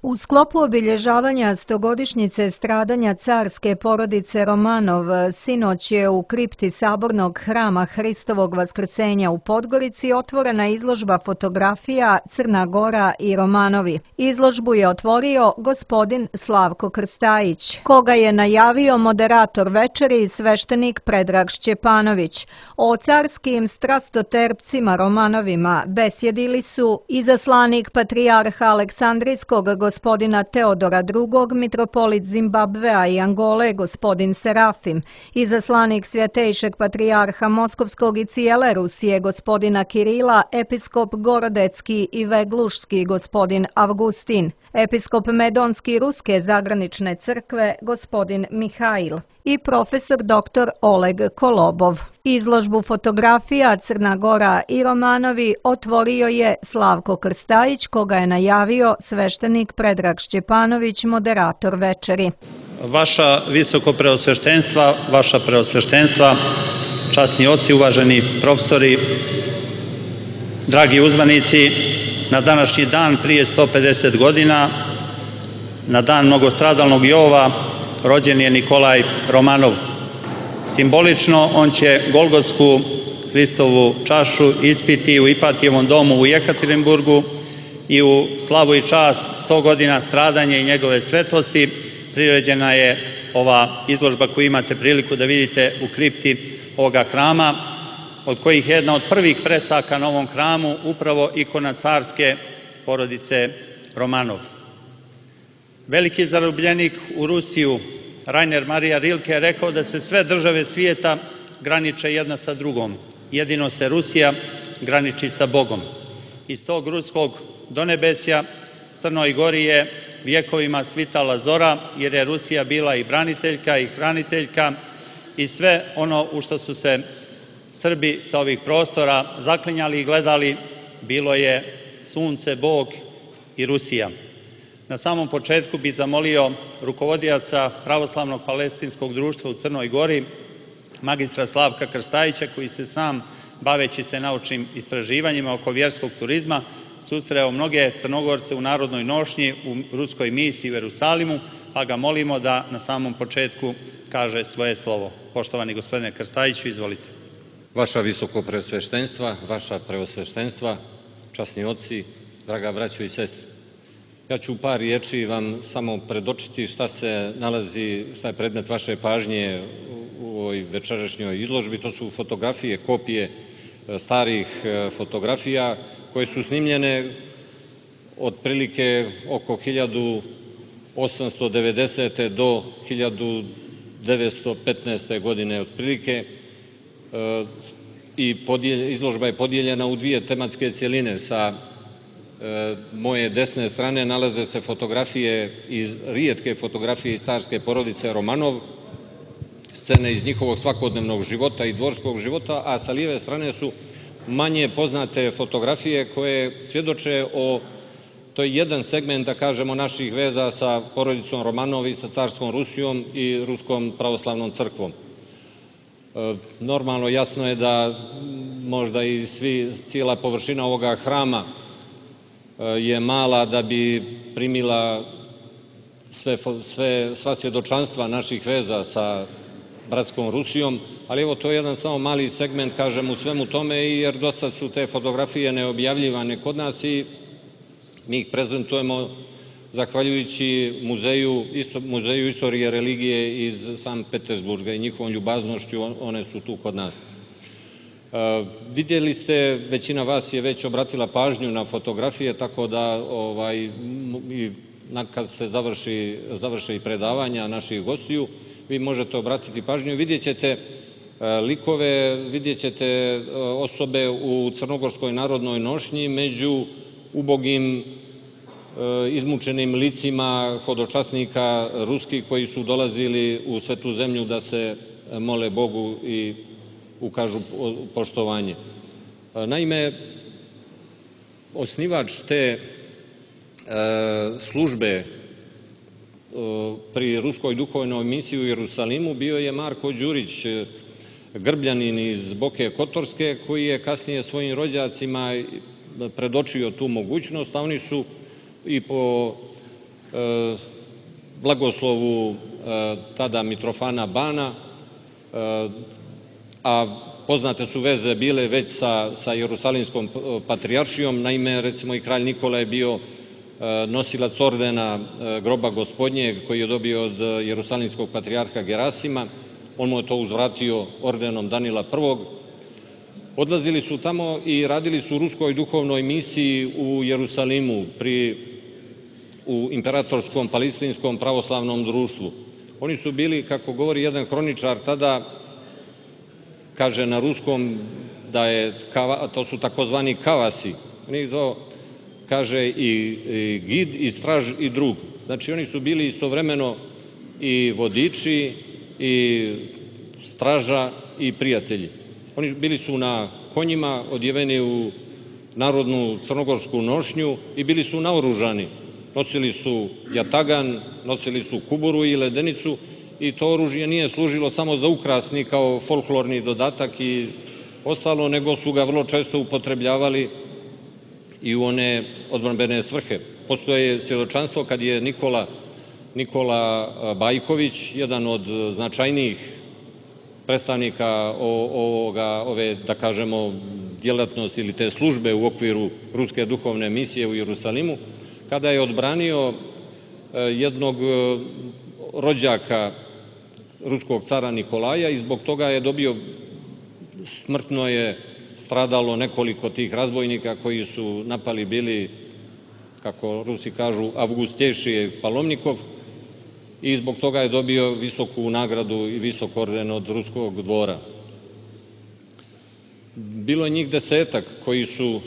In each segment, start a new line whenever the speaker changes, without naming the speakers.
U sklopu obilježavanja stogodišnjice stradanja carske porodice Romanov, sinoć je u kripti Sabornog hrama Hristovog Vaskrsenja u Podgorici otvorena izložba fotografija Crna Gora i Romanovi. Izložbu je otvorio gospodin Slavko Krstajić, koga je najavio moderator večeri i sveštenik Predrag Šćepanović. O carskim strastoterpcima Romanovima besjedili su izaslanik patrijarha Aleksandrijskog gospodina Teodora II, mitropolit Zimbabvea i Angole gospodin Serafim, izaslanik svjetejšeg patrijarha Moskovskog i cijele Rusije gospodina Kirila, episkop Gorodecki i Veglušski gospodin Avgustin, episkop Medonski Ruske zagranične crkve gospodin Mihail i profesor dr. Oleg Kolobov. Izložbu fotografija Crna Gora i Romanovi otvorio je Slavko Krstajić, koga je najavio sveštenik Predrag Šćepanović, moderator večeri.
Vaša visoko preosveštenstva, vaša preosveštenstva, časni oci, uvaženi profesori, dragi uzvanici, na današnji dan prije 150 godina, na dan mnogostradalnog Jova, rođen je Nikolaj Romanov. Simbolično on će Golgotsku Hristovu čašu ispiti u Ipatijevom domu u Jekaterinburgu i u slavu i čast 100 godina stradanja i njegove svetosti priređena je ova izložba koju imate priliku da vidite u kripti ovoga hrama, od kojih je jedna od prvih fresaka na ovom hramu upravo ikona carske porodice Romanov. Veliki zarobljenik u Rusiju Rainer Marija Rilke je rekao da se sve države svijeta graniče jedna sa drugom, jedino se Rusija graniči sa Bogom. Iz tog ruskog donebesja Crnoj Gori je vjekovima svitala zora, jer je Rusija bila i braniteljka i hraniteljka i sve ono u što su se Srbi sa ovih prostora zaklinjali i gledali bilo je sunce, Bog i Rusija. Na samom početku bih zamolio rukovodioca Pravoslavnog palestinskog društva u Crnoj Gori, magistra Slavka Krstajića, koji se sam, baveći se naučnim istraživanjima oko vjerskog turizma, susreo mnoge Crnogorce u narodnoj nošnji u ruskoj misiji u Jerusalimu, pa ga molimo da na samom početku kaže svoje slovo. Poštovani gospodine Krstajiću, izvolite.
Vaša visoko preosveštenstva, vaša preosveštenstva, časni oci, draga braćo i sestre. Ja ću u par riječi vam samo predočiti šta se nalazi, šta je predmet vaše pažnje u ovoj večerašnjoj izložbi. To su fotografije, kopije starih fotografija koje su snimljene otprilike oko 1890. do 1915. godine otprilike, i izložba je podijeljena u dvije tematske cjeline. Sa moje desne strane nalaze se fotografije, rijetke fotografije iz carske porodice Romanov, scene iz njihovog svakodnevnog života i dvorskog života, a sa lijeve strane su manje poznate fotografije koje svjedoče o, to je jedan segment, da kažemo, naših veza sa porodicom Romanov i sa carskom Rusijom i Ruskom pravoslavnom crkvom. Normalno, jasno je da možda i cijela površina ovoga hrama je mala da bi primila sva svjedočanstva naših veza sa bratskom Rusijom, ali evo, to je jedan samo mali segment, kažem, u svemu tome, jer dosta su te fotografije neobjavljivane kod nas i mi ih prezentujemo zahvaljujući Muzeju istorije religije iz Sankt Petersburga i njihovom ljubaznošću, one su tu kod nas. Vidjeli ste, većina vas je već obratila pažnju na fotografije, tako da kad se završe i predavanja naših gostiju, vi možete obratiti pažnju. Vidjet ćete likove, vidjet ćete osobe u crnogorskoj narodnoj nošnji među ubogim izmučenim licima hodočasnika ruskih koji su dolazili u Svetu zemlju da se mole Bogu i ukažu poštovanje. Naime, osnivač te službe pri Ruskoj duhovnoj misiji u Jerusalimu bio je Marko Đurić, Grbljanin iz Boke Kotorske, koji je kasnije svojim rođacima predočio tu mogućnost, a oni su i po blagoslovu tada Mitrofana Bana, a poznate su veze bile već sa Jerusalimskom patrijaršijom. Naime, recimo i kralj Nikola je bio nosilac ordena groba Gospodnjeg koji je dobio od Jerusalimskog patrijarha Gerasima. On mu je to uzvratio ordenom Danila I. Odlazili su tamo i radili su u ruskoj duhovnoj misiji u Jerusalimu u Imperatorskom palestinskom pravoslavnom društvu. Oni su bili, kako govori jedan hroničar tada, kaže na ruskom da je, to su takozvani kavasi, oni ih zvao, kaže i gid, i straž, i drug. Znači oni su bili istovremeno i vodiči, i straža, i prijatelji. Oni bili su na konjima, odjeveni u narodnu crnogorsku nošnju i bili su naoružani. Nosili su jatagan, nosili su kuburu i ledenicu i to oružje nije služilo samo za ukrasni kao folklorni dodatak i ostalo, nego su ga vrlo često upotrebljavali i u one odbrambene svrhe. Postoje svjedočanstvo kad je Nikola Bajković, jedan od značajnijih predstavnika ove, da kažemo, djelatnosti ili te službe u okviru ruske duhovne misije u Jerusalimu, kada je odbranio jednog rođaka ruskog cara Nikolaja i zbog toga je dobio, smrtno je stradalo nekoliko tih razbojnika koji su napali bili, kako Rusi kažu, Avgustjejšije Palomnikov, i zbog toga je dobio visoku nagradu i visok orden od ruskog dvora. Bilo je njih 10 koji su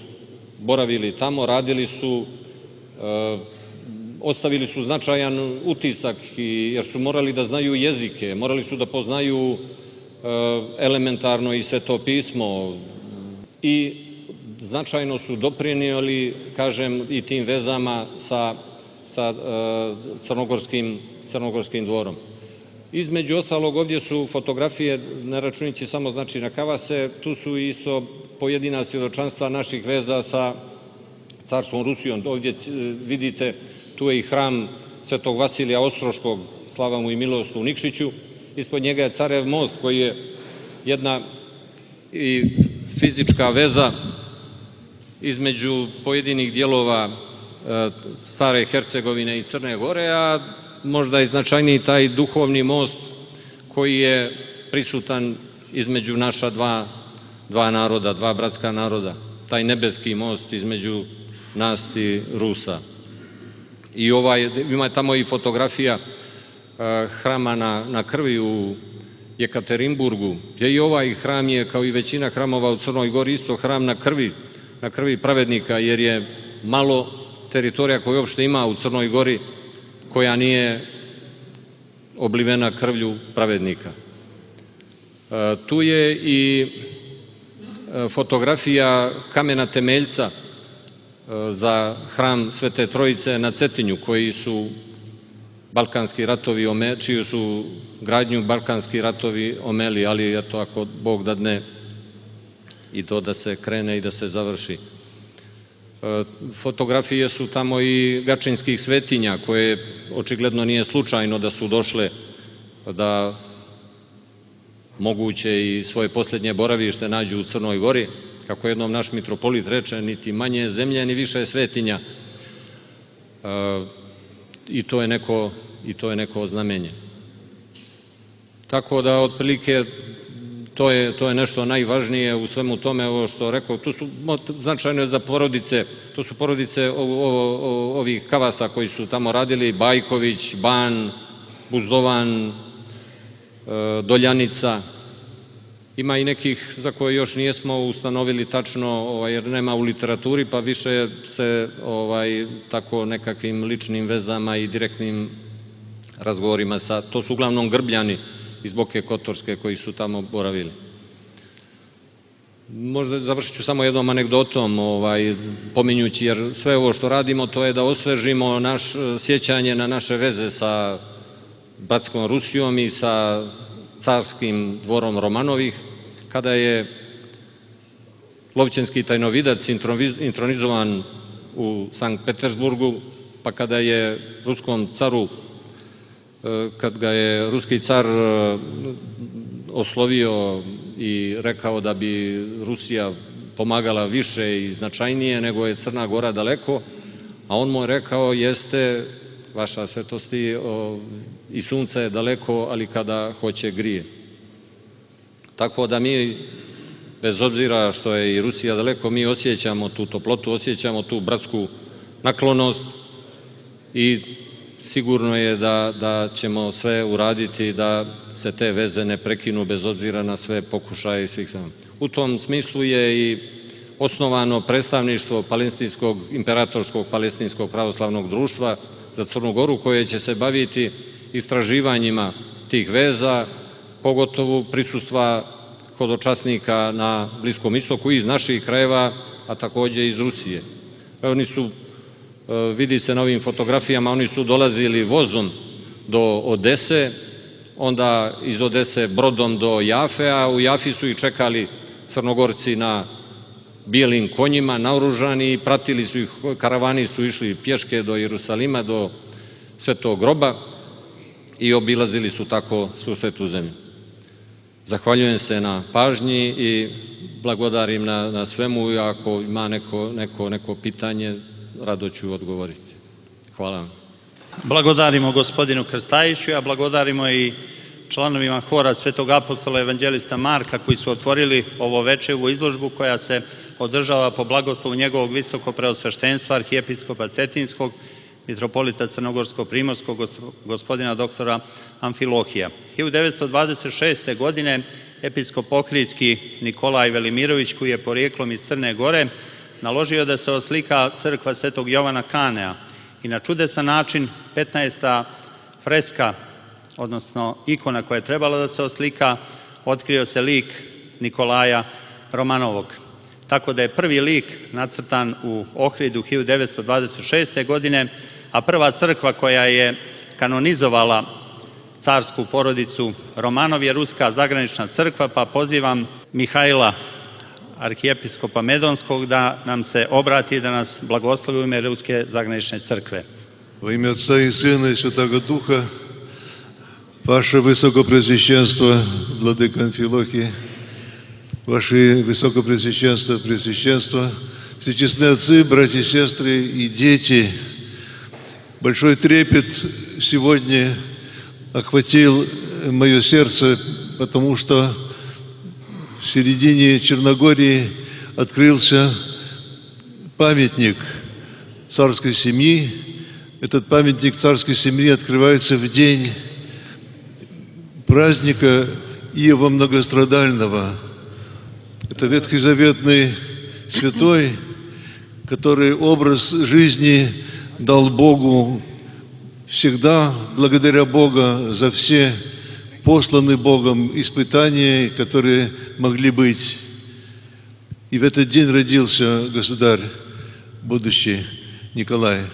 boravili tamo, radili su, ostavili su značajan utisak jer su morali da znaju jezike, morali su da poznaju elementarno i Sveto pismo i značajno su doprinijeli, kažem, i tim vezama sa crnogorskim dvorom. Između ostalog, ovdje su fotografije, ne računajući samo znači na Kavase, tu su isto pojedina svjedočanstva naših veza sa carstvom Rusijom. Ovdje vidite, tu je i hram Svetog Vasilija Ostroškog, slava mu i milost, u Nikšiću. Ispod njega je Carev most koji je jedna i fizička veza između pojedinih dijelova stare Hercegovine i Crne Gore, a možda i značajniji taj duhovni most koji je prisutan između naša dva naroda, dva bratska naroda, taj nebeski most između nas i Rusa. I ima tamo i fotografija hrama na krvi u Jekaterinburgu, gdje i ovaj hram je, kao i većina hramova u Crnoj Gori, isto hram na krvi pravednika, jer je malo teritorija koju uopšte ima u Crnoj Gori koja nije oblivena krvlju pravednika. Tu je i fotografija kamena temeljca za hram Svete Trojice na Cetinju, koji su balkanski ratovi, čiju su gradnju balkanski ratovi omeli, ali eto, ako Bog dadne i to da se krene i da se završi. Fotografije su tamo i gačinskih svetinja, koje očigledno nije slučajno da su došle da moguće i svoje posljednje boravište nađu u Crnoj Gori. Kako jednom naš mitropolit reče, niti manje zemlje, ni više svetinja. I to je neko znamenje. Tako da, otprilike, to je nešto najvažnije u svemu tome, ovo što rekao. Tu su značajne za porodice, to su porodice ovih Kavasa koji su tamo radili, Bajković, Ban, Buzdovan, Doljanica. Ima i nekih za koje još nijesmo ustanovili tačno, jer nema u literaturi, pa više se tako nekakvim ličnim vezama i direktnim razgovorima to su uglavnom Grbljani iz Boke Kotorske koji su tamo boravili. Možda završit ću samo jednom anegdotom, pominjući, jer sve ovo što radimo to je da osvežimo sjećanje na naše veze sa bratskom Rusijom i sa carskim dvorom Romanovih, kada je Lovćenski tajnovidac intronizovan u Sankt Petersburgu, pa pa kada je ruskom caru, kad ga je ruski car oslovio i rekao da bi Rusija pomagala više i značajnije nego je Crna Gora daleko, a on mu je rekao: jeste, vaša svetosti, i sunce je daleko, ali kada hoće grije. Tako da mi, bez obzira što je i Rusija daleko, mi osjećamo tu toplotu, osjećamo tu bratsku naklonost i sigurno je da ćemo sve uraditi da se te veze ne prekinu bez obzira na sve pokušaje i svih strana. U tom smislu je i osnovano predstavništvo Palestinskog, Imperatorskog palestinskog pravoslavnog društva za Crnu Goru, koje će se baviti istraživanjima tih veza, pogotovo prisustva hodočasnika na Bliskom istoku iz naših krajeva, a takođe iz Rusije. Oni su, vidi se na ovim fotografijama, oni su dolazili vozom do Odese, onda iz Odese brodom do Jafe, a u Jafi su ih čekali Crnogorci na bijelim konjima, naoružani, i pratili su ih, karavani su išli pješke do Jerusalima, do Svetog groba i obilazili su tako svu svetu zemlju. Zahvaljujem se na pažnji i blagodarim na svemu, i ako ima neko pitanje, rado ću odgovoriti. Hvala vam.
Blagodarimo gospodinu Krstajiću, a blagodarimo i članovima hora Svetog apostola evanđelista Marka, koji su otvorili ovo večevu izložbu koja se održava po blagoslovu njegovog visoko preosveštenstva arhijepiskopa Cetinskog, mitropolita Crnogorsko-primorskog, gospodina doktora Amfilohija. 1926. godine episkop Ohridski Nikolaj Velimirović, koji je porijeklom iz Crne Gore, naložio da se oslika crkva Svetog Jovana Kanea i na čudesan način 15. freska, odnosno ikona koja je trebala da se oslika, otkrio se lik Nikolaja Romanovog. Tako da je prvi lik nacrtan u Ohridu 1926. godine, a prva crkva koja je kanonizovala carsku porodicu Romanov je Ruska zagranična crkva, pa pozivam Mihajla, arhijepiskopa Medonskog, da nam se obrati i da nas blagoslovi u ime Ruske zagranične crkve.
Во имя Отца и Сына и Святого Духа, Ваше Высокопреосвященство, Владыка Амфилохий, Ваше Высокопреосвященство, Преосвященство, всечестные отцы, братья и сестры и дети, большой трепет сегодня охватил мое сердце, потому что в середине Черногории открылся памятник царской семьи. Этот памятник царской семьи открывается в день праздника Иова Многострадального. Это ветхозаветный святой, который образ жизни дал Богу всегда, благодаря Бога за все посланы Богом испытания, которые могли быть. И в этот день родился государь будущий Nikolaj.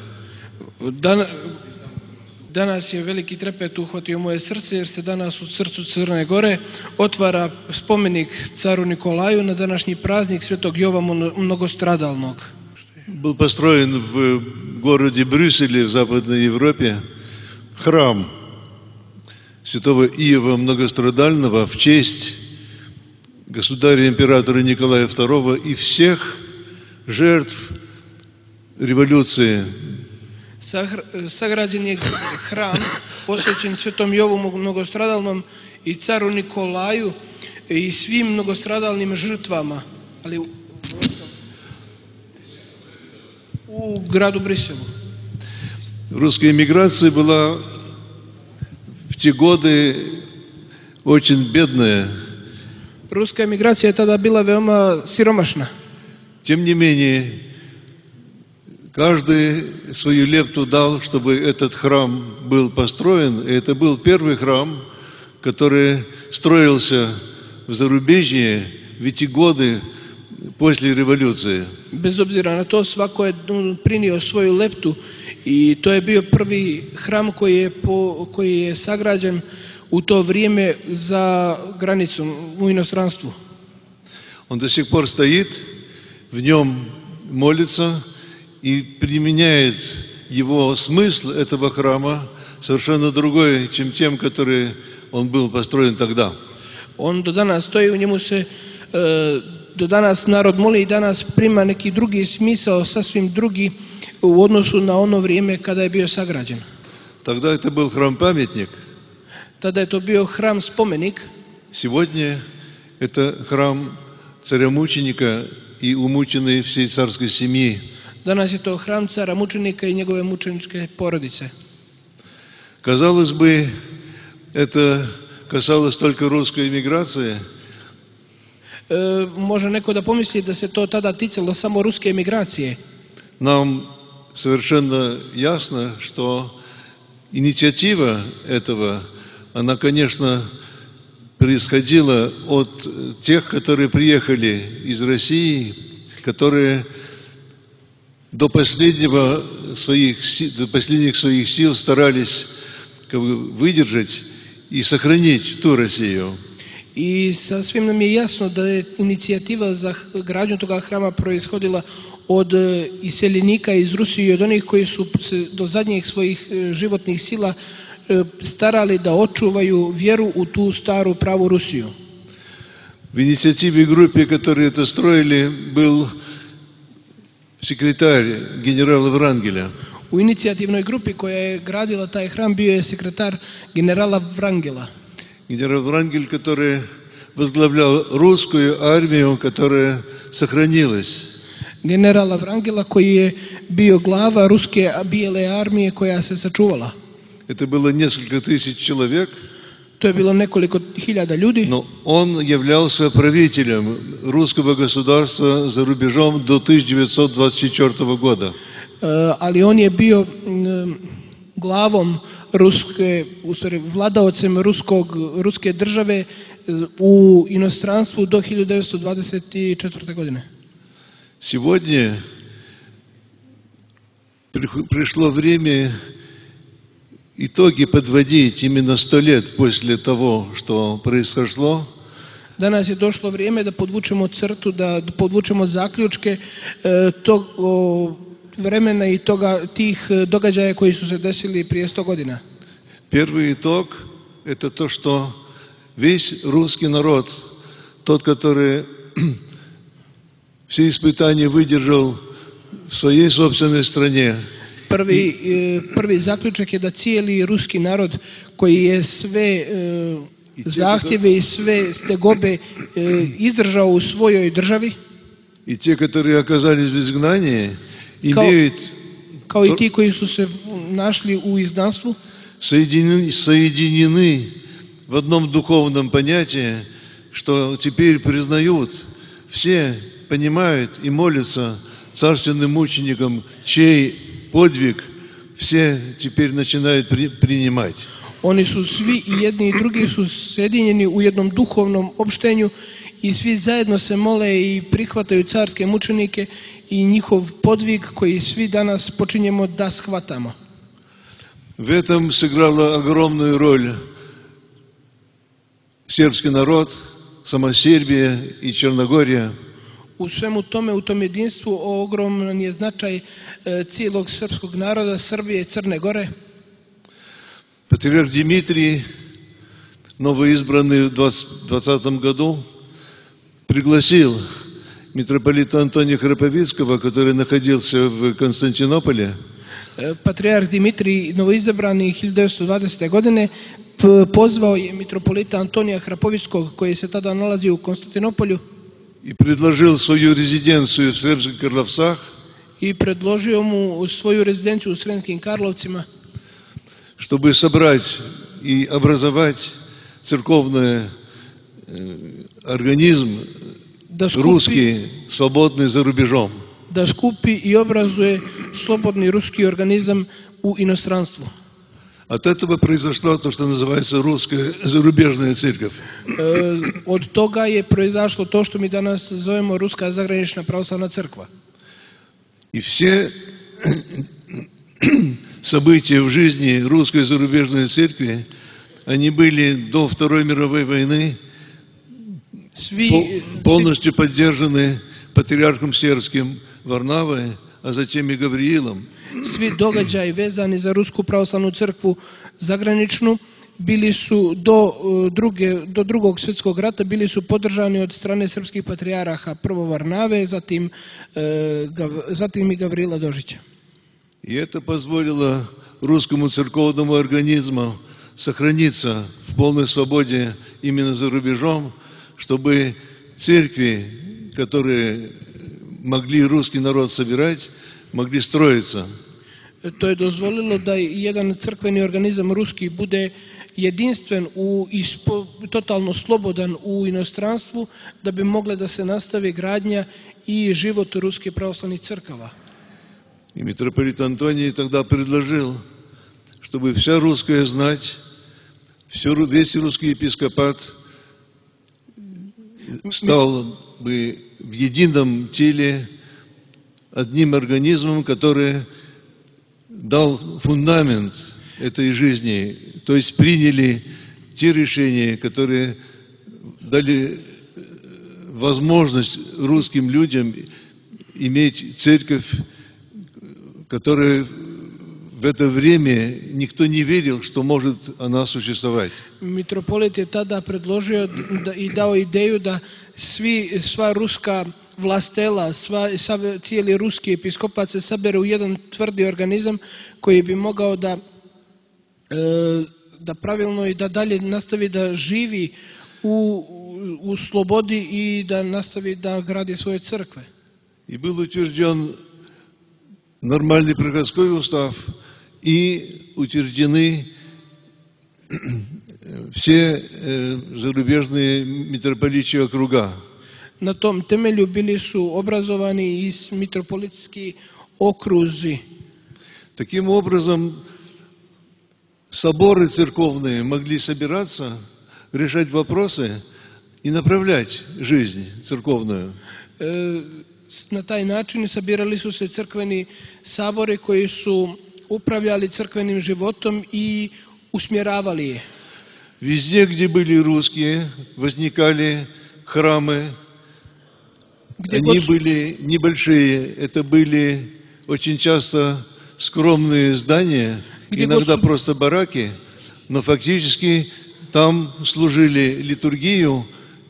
Danas je veliki trepet uhvatio moje srce, jer se danas u srcu Crne Gore otvara spomenik caru Nikolaju na današnji praznik Svetog Jovana Mnogostradalnog.
Был построен в городе Брюсселе в Западной Европе храм святого Иова Многострадального в честь государя-императора Николая II и всех жертв революции.
Sagrađen je hram posvećen Svetom Jovu Mnogostradalnom i caru Nikolaju i svim mnogostradalnim žrtvama, ali u gradu Брюсселу.
Русская эмиграция была в те годы очень бедная.
Ruska emigracija je tada bila veoma siromašna.
Тем не менее, каждый свою лепту дал, чтобы этот храм был построен. И это был первый храм, который строился в зарубежье в эти годы после революции.
Bez obzira na to, svako je prinio svoju leptu i to je bio prvi hram koji je sagrađen u to vrijeme za granicom u inostranstvu.
Он до сих пор стоит, в нем молится и применяет его смысл этого храма совершенно другой, чем тем, который он был построен тогда.
On do danas stoji, u njemu se do danas narod moli i danas prima neki drugi smisao, sasvim drugi u odnosu na ono vrijeme kada je bio sagrađen.
Тогда это был храм-памятник.
Tada je to bio hram spomenik.
Сегодня это храм царя-мученика и умученной всей царской семьи.
Danas je to hram cara mučenika i njegove mučeničke porodice.
Казалось бы, это касалось только русской эмиграции.
Može neko da pomisli da se to tada ticalo samo ruske emigracije.
Нам совершенно ясно, что инициатива этого, она, конечно, происходила от тех, которые приехали из России, которые до последних своих сил старались выдержать и сохранить ту Россию.
I sasvim nam je jasno da je inicijativa za gradnju toga hrama proishodila od iseljenika iz Rusije i od onih koji su se do zadnjih svojih životnih sila starali da očuvaju vjeru u tu staru pravu Rusiju.
В инициативе группы, которые это строили, был секретарь генерала Врангеля.
U inicijativnoj grupi koja je gradila taj hram bio je sekretar generala Wrangela.
Генерал Врангель, который возглавлял русскую армию, которая сохранилась.
Generala Wrangela koji je bio glava ruske bijele armije koja se sačuvala.
Это было несколько тысяч человек.
To je bilo nekoliko hiljada ljudi.
Но он являлся правителем русского государства за рубежом до 1924 года.
Ali on je bio glavom vladaocem ruske države u inostranstvu do 1924. godine.
Сегодня пришло время итоги подводить именно 100 лет после того, что произошло.
Danas je došlo vrijeme da podvučemo crtu, da podvučemo zaključke tog vremena i tih događaja koji su se desili prije 100 godina.
Первый итог – это то, что весь русский народ, тот, который все испытания выдержал в своей собственной стране.
Prvi zaključak je da cijeli ruski narod koji je sve zahtjeve i sve tegobe izdržao u svojoj državi,
и те, которые оказались в изгнании, имеют
kao i ti koji su se našli u izgnanstvu,
соединены в одном духовном понятии, что теперь признают, все понимают и молятся царственным мученикам, чей подвиг все теперь начинают принимать.
Oni su svi i jedni i drugi su sjedinjeni u jednom duhovnom opštenju i svi zajedno se mole i prihvataju carske mučenike i njihov podvig koji svi danas počinjemo da shvatamo.
В этом сыграла огромную роль сербский народ, сама Сербия и Черногория.
U svemu tome, u tom jedinstvu, ogroman je značaj cijelog srpskog naroda, Srbije i Crne Gore.
Патриарх Дмитрий, новоизбранный в 2020 году, пригласил митрополита Антония Храповицкого, который находился в Константинополе.
Patrijarh Dimitrij, novoizabrani 1920. godine, pozvao je mitropolita Antonija Hrapovickog, koji se tada nalazio u Konstantinopolju,
и предложил свою резиденцию в Срemskih Karlovcах,
i predložio mu svoju rezidenciju u Sremskim Karlovcima,
чтобы собрать и образовать церковный организм русский, свободный за рубежом.
Da skupi i obrazuje slobodni ruski organizam u inostranstvu.
От этого произошло то, что называется русская зарубежная церковь.
Od toga je proizašlo to što mi danas zovemo Ruska zagranična pravoslavna crkva.
И все события в жизни русской зарубежной церкви, они были до Второй мировой войны полностью поддержаны патриархом сербским Варнавой, а затем и Гавриилом.
Svi događaji vezani za Rusku pravoslavnu crkvu zagraničnu bili su do drugog svjetskog rata bili su podržani od strane srpskih patrijaraha, prvo Varnave, zatim i Gavrila Dožića.
И это позволило русскому церковному организму сохраниться в полной свободе именно за рубежом, чтобы церкви, которые могли русский народ собирать, могли строиться.
To je dozvolilo da jedan crkveni organizam ruski bude jedinstven i totalno slobodan u inostranstvu, da bi mogle da se nastavi gradnja i život ruskih pravoslavnih crkava.
И митрополит Антоний тогда предложил, чтобы вся русская знать, весь русский епископат стал бы в едином теле одним организмом, который дал фундамент этой жизни, то есть приняли те решения, которые дали возможность русским людям иметь церковь, которая в это время никто не верил, что может она существовать.
Mitropolit je tada predložio i dao ideju da sva ruska vlastela, cijeli ruski episkopat se sabere u jedan tvrdi organizam koji bi mogao da pravilno i da dalje nastavi da živi u slobodi i da nastavi da gradi svoje crkve.
И был утвержден нормальный приходской устав, и утверждены все зарубежные митрополичьи округа.
Na tom temelju bili su obrazovani i mitropolitski okruzi.
Таким образом, соборы церковные могли собираться, решать вопросы и направлять жизнь церковную.
Na taj način sabirali su se crkveni sabori koji su upravljali crkvenim životom i usmjeravali je.
Везде, где были русские, возникали храмы. Они были небольшие, это были очень часто скромные здания, иногда просто бараки, но фактически там служили литургию,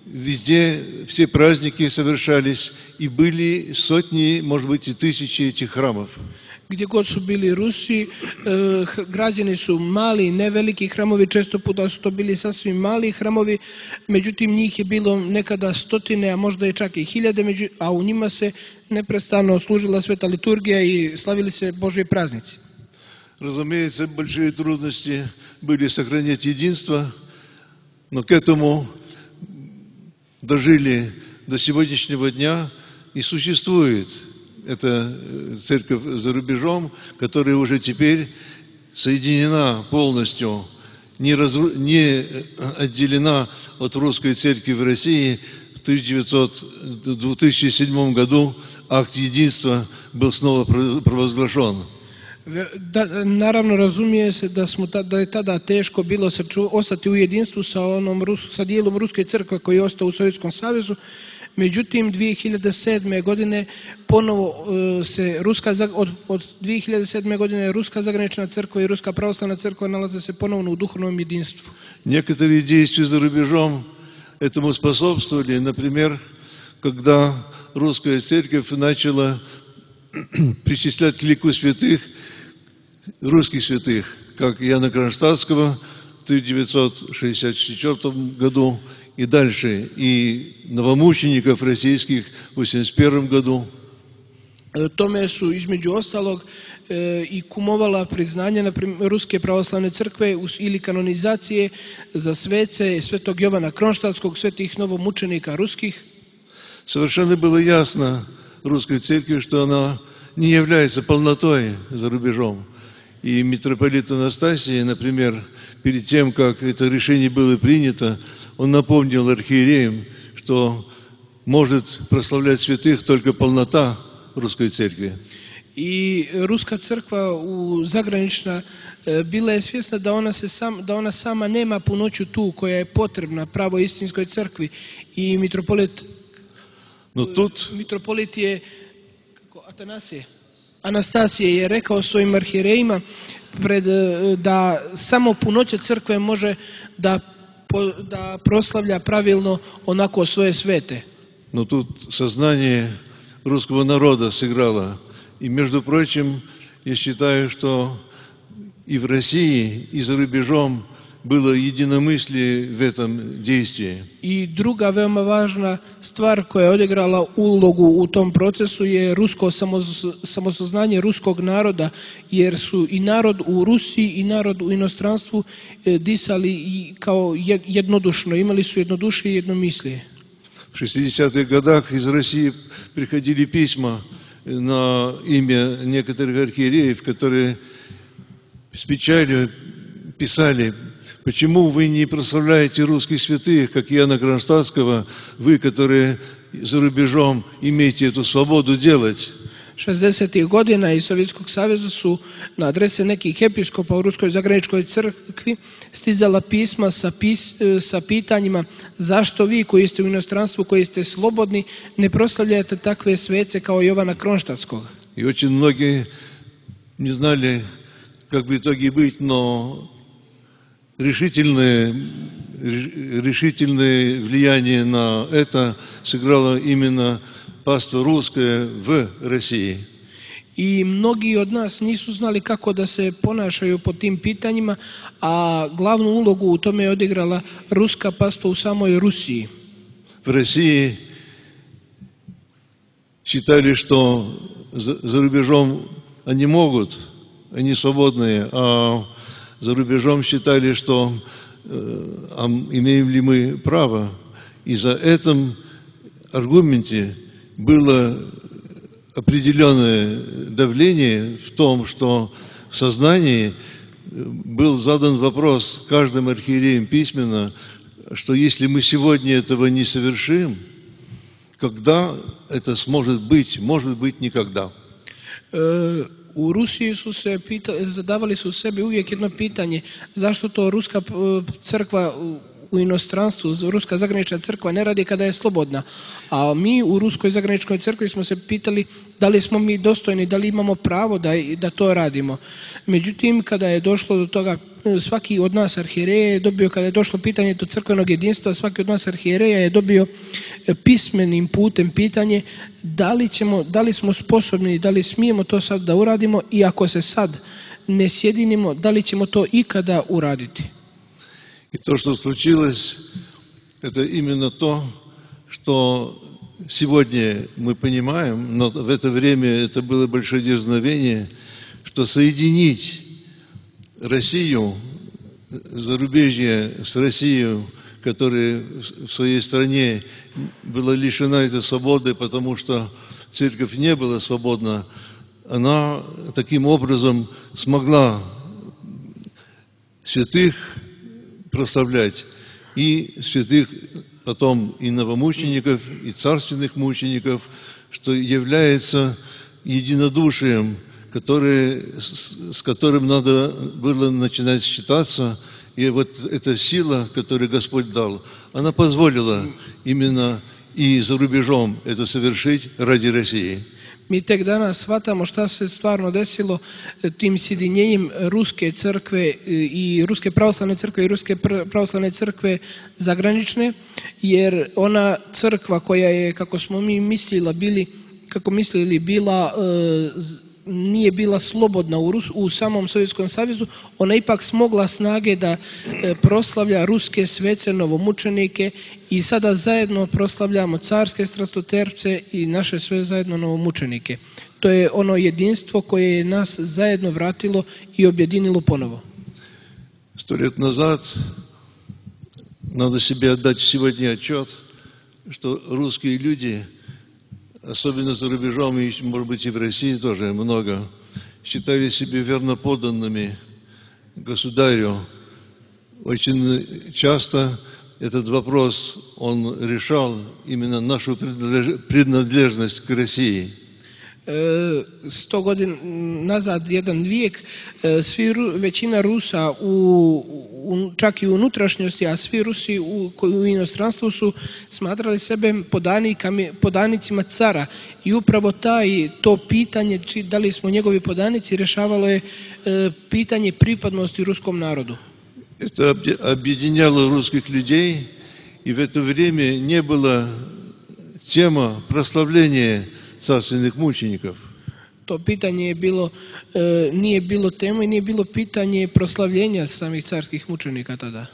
везде все праздники совершались, и были сотни, может быть, и тысячи этих храмов.
Gdje god su bili Rusi, građeni su mali, ne veliki hramovi, često puta su to bili sasvim mali hramovi, međutim njih je bilo nekada stotine, a možda i čak i hiljade, a u njima se neprestano služila sveta liturgija i slavili se Božji praznici.
Разумеется, большие трудности были сохранять единство, но к этому дожили до сегодняшнего дня и существует эта церковь за рубежом, которая уже теперь соединена полностью, не отделена от русской церкви в России. В 2007 году акт единства был снова провозглашен.
Naravno, razumije se da je tada teško bilo ostati u jedinstvu sa dijelom Ruske crkve koji je ostao u Sovjetskom savezu. Međutim, 2007. godine ponovo se od 2007. godine Ruska zagranična crkva i Ruska pravoslavna crkva nalaze se ponovno u duhovnom jedinstvu.
Некоторые действия за рубежом этому способствовали. Например, когда русская церковь начала причислять к лику святых русских святых, как Иоанна Кронштадтского в 1964 году, и дальше, и новомучеников российских в 1981 году.
Tome su između ostalog i kumovala priznanja na Ruske pravoslavne crkve ili kanonizacije za svece Svetog Jovana Kronštadtskog, svetih novomučenika ruskih.
Совершенно было ясно русской церкви, что она не является полнотой за рубежом. И митрополит Анастасий, например, перед тем, как это решение было принято, он напомнил архиереям, что может прославлять святых только полнота русской церкви.
I Ruska crkva zagranična bila je svjesna da ona sama nema punoću tu koja je potrebna pravoj istinskoj crkvi. I mitropolit je Atanasije. Anastasije je rekao svojim arhijerejima da samo punoća crkve može da proslavlja pravilno onako svoje svete.
Но тут сознание русского народа сыграло. И, между прочим, я считаю, что и в России, и за рубежом было единомыслие в этом действии.
I druga veoma važna stvar koja je odigrala ulogu u tom procesu je rusko samosoznanje ruskog naroda, jer su i narod u Rusiji i narod u inostranstvu disali kao jednodušno, imali su jednodušje i jednomislije.
В 60-х годах из России приходили письма на имя некоторых архиереев, которые с печалью писали: почему вы не прославляете русских святых, как Иоанна Кронштадтского, вы, которые за рубежом имеете эту свободу делать?
60. godina iz Sovjetskog saveza su na adrese nekih episkopa u Ruskoj zagraničkoj crkvi stizala pisma sa pitanjima zašto vi koji ste u inostranstvu, koji ste slobodni, ne proslavljate takve svece kao Jovana Kronštadtskog.
И очень многие не знали, как в итоге быть, но решительное влияние на это сыграло именно паство русское в России.
I mnogi od nas nisu znali kako da se ponašaju po tim pitanjima, a glavnu ulogu u tome je odigrala ruska pastva u samoj Rusiji.
В России считали, что за рубежом они могут, они свободные, а за рубежом считали, что имеем ли мы право. И за этом аргументе было определенное давление в том, что в сознании был задан вопрос каждым архиереем письменно, что если мы сегодня этого не совершим, когда это сможет быть? Может быть, никогда.
U Rusiji zadavali su sebi uvijek jedno pitanje, zašto to ruska crkva u inostranstvu, ruska zagranična crkva ne radi kada je slobodna. A mi u ruskoj zagraničnoj crkvi smo se pitali da li smo mi dostojni, da li imamo pravo da to radimo. Međutim, kada je došlo do toga, svaki od nas arhijereja je dobio, kada je došlo pitanje do crkvenog jedinstva, svaki od nas arhijereja je dobio pismenim putem pitanje da li smo sposobni, da li smijemo to sad da uradimo i ako se sad ne sjedinimo, da li ćemo to ikada uraditi.
И то, что случилось, это именно то, что сегодня мы понимаем, но в это время это было большое дерзновение, что соединить Россию, зарубежье с Россией, которая в своей стране была лишена этой свободы, потому что церковь не была свободна, она таким образом смогла святых прославлять, и святых потом и новомучеников, и царственных мучеников, что является единодушием, с которым надо было начинать считаться. И вот эта сила, которую Господь дал, она позволила именно и за рубежом это совершить ради России.
Mi tek danas shvatamo šta se stvarno desilo tim sjedinjenjem ruske crkve i ruske pravoslavne crkve i ruske pravoslavne crkve zagranične, jer ona crkva koja je, kako smo mi mislili bila nije bila slobodna u samom Sovjetskom savezu, ona ipak smogla snage da proslavlja ruske svece, novomučenike i sada zajedno proslavljamo carske strastoterpce i naše sve zajedno novomučenike. To je ono jedinstvo koje je nas zajedno vratilo i objedinilo ponovo.
100 лет назад надо себе отдать сегодня отчет, что русские люди, особенно за рубежом, и, может быть, и в России тоже много, считали себя верноподданными государю. Очень часто этот вопрос, он решал именно нашу принадлежность к России.
100 godina nazad, jedan vijek, većina Rusa čak i u unutrašnjosti, a svi Rusi u inostranstvu su smatrali sebe podanicima cara. I upravo to pitanje, da li smo njegovi podanici, rješavalo je pitanje pripadnosti ruskom narodu.
Это объединяло русских людей, и в это время не было тема прославления царственных мучеников.
To pitanje je bilo, nije bilo tema i nije bilo pitanje proslavljenja samih carskih mučenika tada.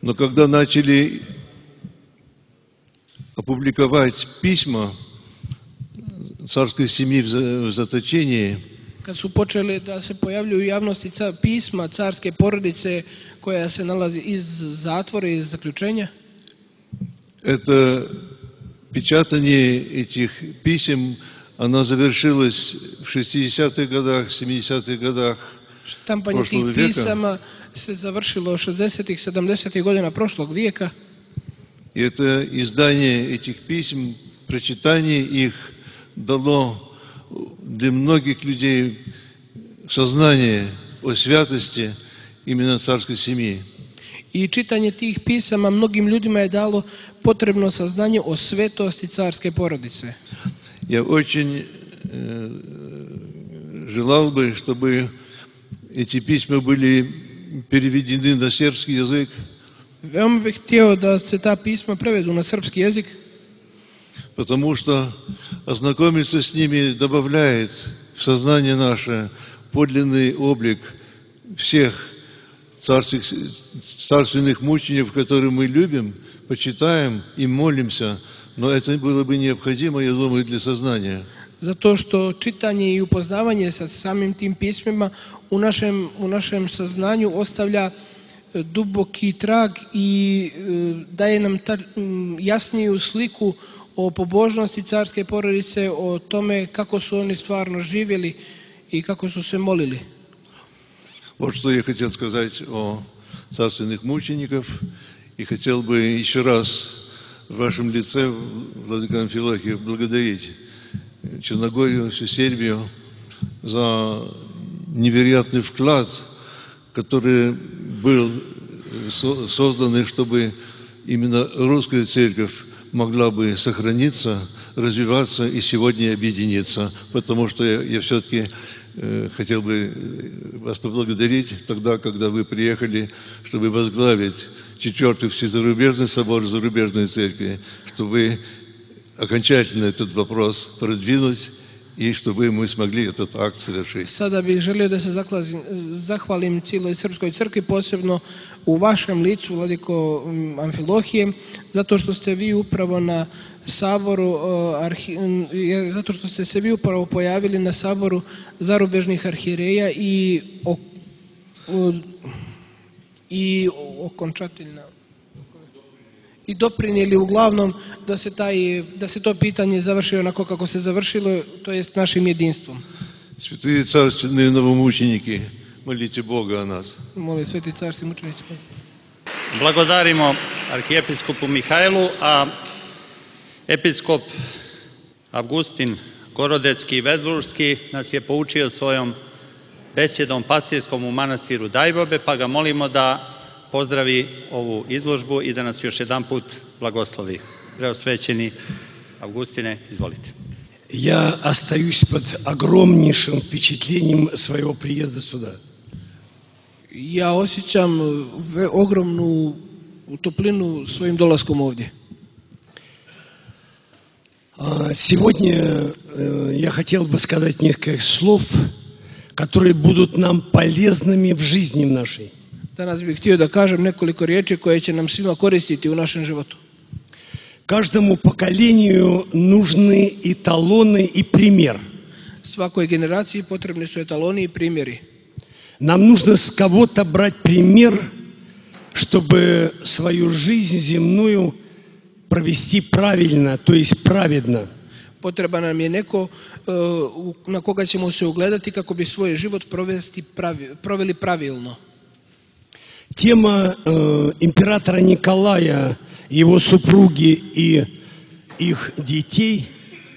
Но когда начали опубликовать письма царской семьи в заточении,
kad su počeli da se pojavljuju u javnosti pisma carske porodice koja se nalazi iz zatvora i iz zaključenja,
это печатание этих писем, оно завершилось в 60-х годах, 70-х годах
štampanje tih pisama se završilo 60-ih, 70-ih godina prošlog vijeka.
И это издание этих писем, прочитание их дало для многих людей сознание о святости именно царской семьи.
I čitanje tih pisama mnogim ljudima je dalo potrebno saznanje o svetosti carske porodice.
Я очень желал бы, чтобы эти письма были переведены на сербский язык.
Veoma bih htio da se ta pisma prevedu na srpski jezik,
потому что ознакомиться с ними добавляет в сознание наше подлинный облик всех царственных мучеников, которые мы любим, почитаем и молимся, но это было бы необходимо, я думаю, для сознания.
Zato što čitanje i upoznavanje sa samim tim pismima u našem saznanju ostavlja duboki trag i daje nam jasniju sliku o pobožnosti carske porodice, o tome kako su oni stvarno živjeli i kako su se molili.
Вот что я хотел сказать о царственных мучеников, и хотел бы еще раз в вашем лице, владыка Амфилохий, благодарить Черногорию, всю Сербию за невероятный вклад, который был создан, чтобы именно русская церковь могла бы сохраниться, развиваться и сегодня объединиться. Потому что я все-таки хотел бы вас поблагодарить тогда, когда вы приехали, чтобы возглавить 4-й Всезарубежный собор зарубежной церкви, чтобы окончательно этот вопрос продвинуть i чтобы мы смогли этот акт совершить.
Sada bih želio da se zahvalim cijeloj srpskoj crkvi, posebno u vašem licu, vladiko Amfilohije, zato što ste vi upravo na saboru, zato što ste se vi upravo pojavili na saboru zarubežnih arhijereja i okončateljno i doprinijeli uglavnom da se to pitanje završi onako kako se završilo, to jest našim jedinstvom.
Святые царственные новомученики, молите Бога о нас.
Molim sveti carski mučenici.
Blagodarimo arhijepiskopu Mihajlu, a episkop Avgustin Gorodecki i Vezlurski nas je poučio svojom besjedom pastirskom u manastiru Dajbobe, pa ga molimo da pozdravi ovu izložbu i da nas još jedan put blagoslovi. Preosvećeni Avgustine, izvolite.
Я остаюсь под огромнейшим впечатлением своего приезда сюда.
Ja osjećam ogromnu toplinu svojim dolaskom ovdje.
Сегодня я хотел бы сказать несколько слов, которые будут нам полезными в жизни нашей.
Danas bih htio da kažem nekoliko riječi koje će nam svima koristiti u našem životu.
Каждому поколению нужны эталоны и пример.
Svakoj generaciji potrebni su etaloni i primjeri.
Нам нужно с кого-то брать пример, чтобы свою жизнь земную провести правильно, то есть праведно.
Potreban nam je neko na koga ćemo se ugledati kako bi svoj život proveli pravilno.
Тема императора Николая, его супруги и их детей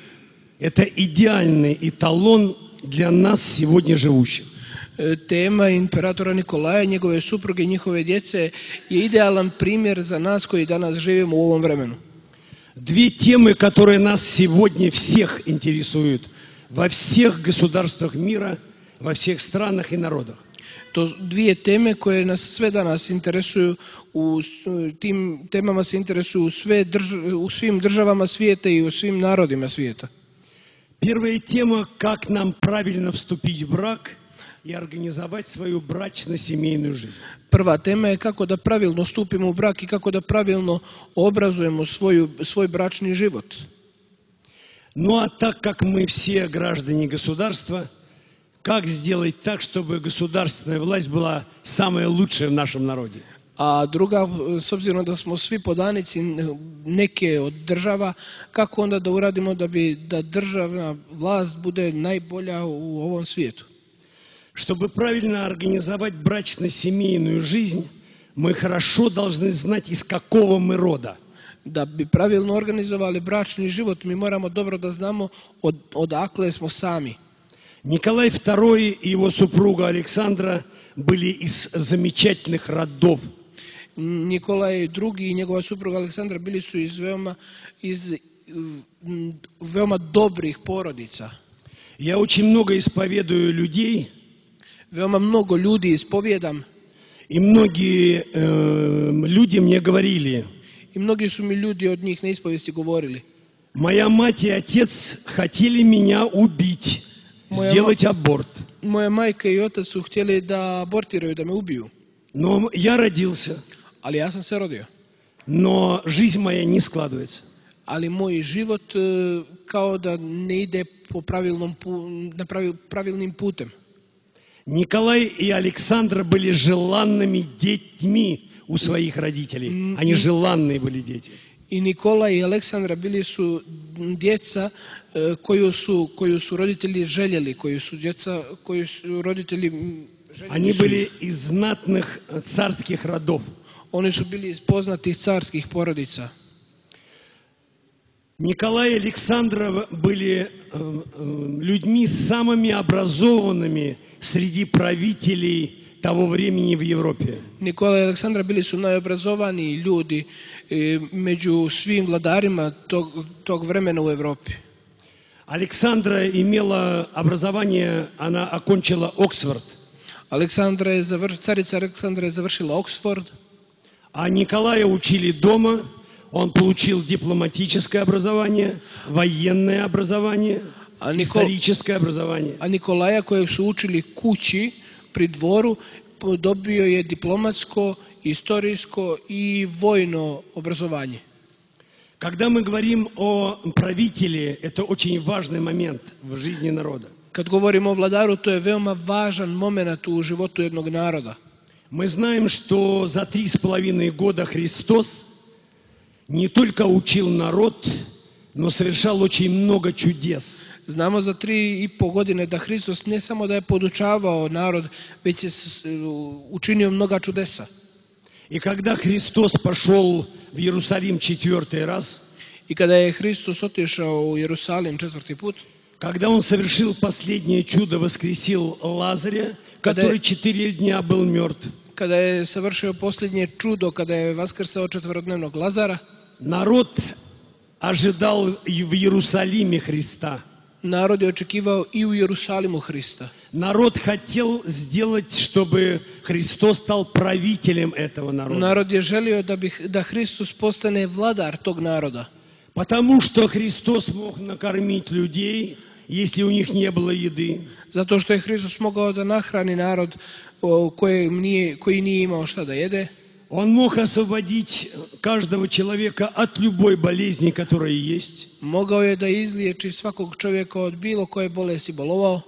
– это идеальный эталон для нас сегодня живущих.
Tema imperatora Nikolaja i njegove supruge i njihove djece je idealan primjer za nas koji danas živimo u ovom vremenu.
Две темы, которые нас сегодня всех интересуют во всех государствах мира, во всех странах и народах.
To dvije teme koje nas sve danas interesuju, u tim temama se interesuju u svim državama svijeta i u svim narodima svijeta.
Первая тема, как нам правильно вступить в брак и организовать свою брачно-семейную жизнь.
Prva tema je kako da pravilno stupimo u brak i kako da pravilno obrazujemo svoj bračni život.
Ну а так как мы все граждане государства, как сделать так, чтобы государственная власть была самая лучшая в нашем народе?
A druga, s obzirom da smo svi podanici neke od država, kako onda da uradimo da državna vlast bude najbolja u ovom svijetu?
Чтобы правильно организовать брачно-семейную жизнь, мы хорошо должны знать, из какого мы рода.
Da bi pravilno organizovali bračni život, mi moramo dobro da znamo odakle smo sami.
Николай II и его супруга Александра были из замечательных родов.
Nikolaj II i njegova supruga Aleksandra bili su iz veoma dobrih porodica.
Я очень много исповедую людей,
Veoma mnogo ljudi ispovijedam
и многие люди мне говорили:
i mnogi su mi ljudi od njih na ispovesti govorili.
моя мать и отец хотели меня убить, сделать аборт.
Moja majka i otac su htjeli da abortiraju, da me ubiju.
Но я родился,
Ali ja sam se rodio.
но жизнь моя не складывается.
Ali moj život kao da ne ide po pravilnim putem.
Николай и Александра были желанными детьми у своих родителей. Они желанные были дети.
I Nikola i Aleksandra bili su djeca koju su roditelji željeli, koju su roditelji željeli.
Они были из знатных царских родов.
Oni su bili iz poznatih carskih porodica.
Николай и Александра были людьми самыми образованными среди правителей того времени в Европе.
Nikola i Aleksandra bili su najobrazovaniji ljudi među svim vladarima tog vremena u Evropi.
Александра имела образование, она окончила Оксфорд.
Carica Aleksandra je završila Oxford.
А Николая учили дома, он получил дипломатическое образование, военное образование, историческое образование.
A Nikolaja kojeg su učili kući pri dvoru dobio je diplomatsko, istorijsko i vojno obrazovanje.
Когда мы говорим о правителе, это очень важный момент в жизни народа.
Kad govorimo o vladaru, to je veoma važan moment u životu jednog naroda.
Мы знаем, что за 3,5 года Христос не только учил народ, но совершал очень много чудес.
Znamo za 3,5 godine da Hristos ne samo da je podučavao narod, već je učinio mnoga čudesa.
И когда Христос пошел в Иерусалим 4 раз,
I kada je Hristos otišao u Jerusalim 4. put,
когда Он совершил последнее чудо, воскресил Лазаря, который 4 дня был мертв,
kada je savršio posljednje čudo, kada je vaskrsao četvorodnevnog Lazara,
народ ожидал в Иерусалиме Христа.
Narod je očekivao i u Jerusalimu Hrista.
Народ хотел сделать, чтобы Христос стал правителем этого народа.
Narod je želio da Hristos postane vladar tog naroda.
Потому что Христос мог накормить людей, если у них не было еды.
Zato što je Hristos mogao da nahrani narod koji nije imao šta da jede.
Он мог освободить каждого человека от любой болезни, которая есть.
Mogao je da izliječi svakog čovjeka od bilo koje bolesti bolovao.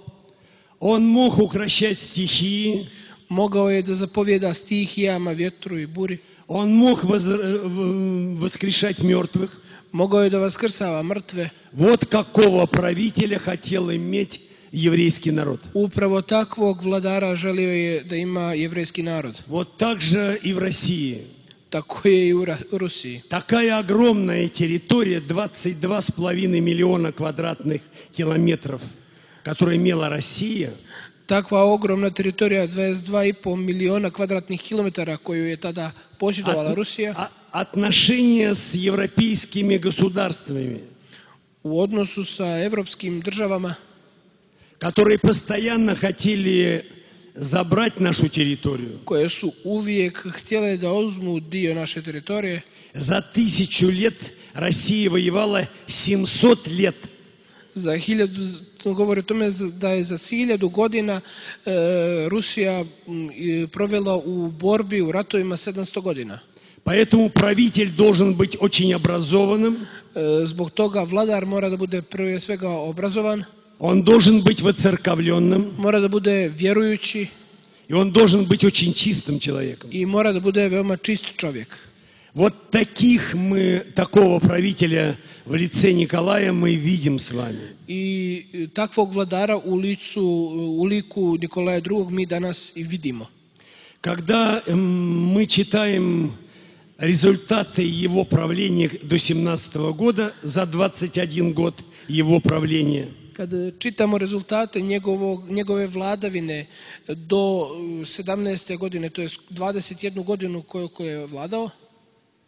Он мог укрощать стихии.
Mogao je da zapovjeda stihijama, vjetru i buri.
Он мог воскрешать мертвых.
Mogao je da vaskrsava mrtve.
Вот какого правителя хотел иметь еврейский народ.
Upravo takvog vladara želio je da ima jevrejski narod.
Вот так же и в России.
tako je i u Rusiji.
Такая огромная территория, 22,5 миллиона квадратных километров, которую имела Россия,
Takva ogromna teritorija, 22,5 miliona kvadratnih kilometara koju je tada posjedovala Rusija,
отношения с европейскими государствами,
u odnosu sa evropskim državama,
которые постоянно хотели забрать нашу территорию.
koje su uvijek htjele da uzmu dio naše teritorije.
За 1000 лет Россия воевала 700 лет.
Za 1000, to govori o tome da je za 1000 godina Rusija provela u borbi, u ratovima 700 godina.
Поэтому правитель должен быть очень образованным.
Zbog toga vladar mora da bude prije svega obrazovan,
Он должен быть воцерковленным.
mora da bude vjerujući
И он должен быть очень чистым человеком.
i mora da bude veoma čist čovjek.
Вот такого правителя в лице Николая мы видим с вами.
I takvog vladara u liku Nikolaja II mi danas i vidimo.
Когда мы čitaем результаты его правления до 17 года, за 21 год его правления,
Kad čitamo rezultate njegove vladavine do 17. godine, to je 21 godinu koju je vladao,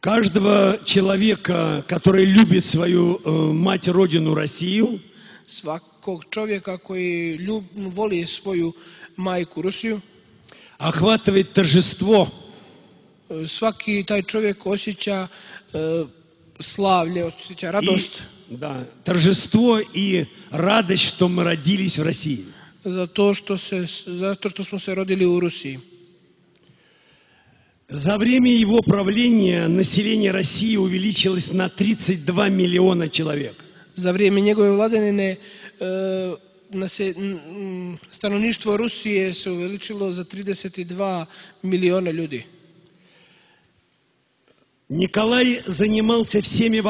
каждого человека, который любит свою мать родину Россию,
svakog čovjeka koji voli svoju majku Rusiju,
охватывает торжество,
svaki taj čovjek osjeća slavlje, osjeća radost.
Да, торжество и радость, что мы родились в России.
Zato što smo se rodili u Rusiji.
За время его правления население России увеличилось на 32 миллиона человек.
Za vrijeme njegove vladavine stanovništvo Rusije se uveličilo za 32 miliona ljudi.
Николай занимался всеми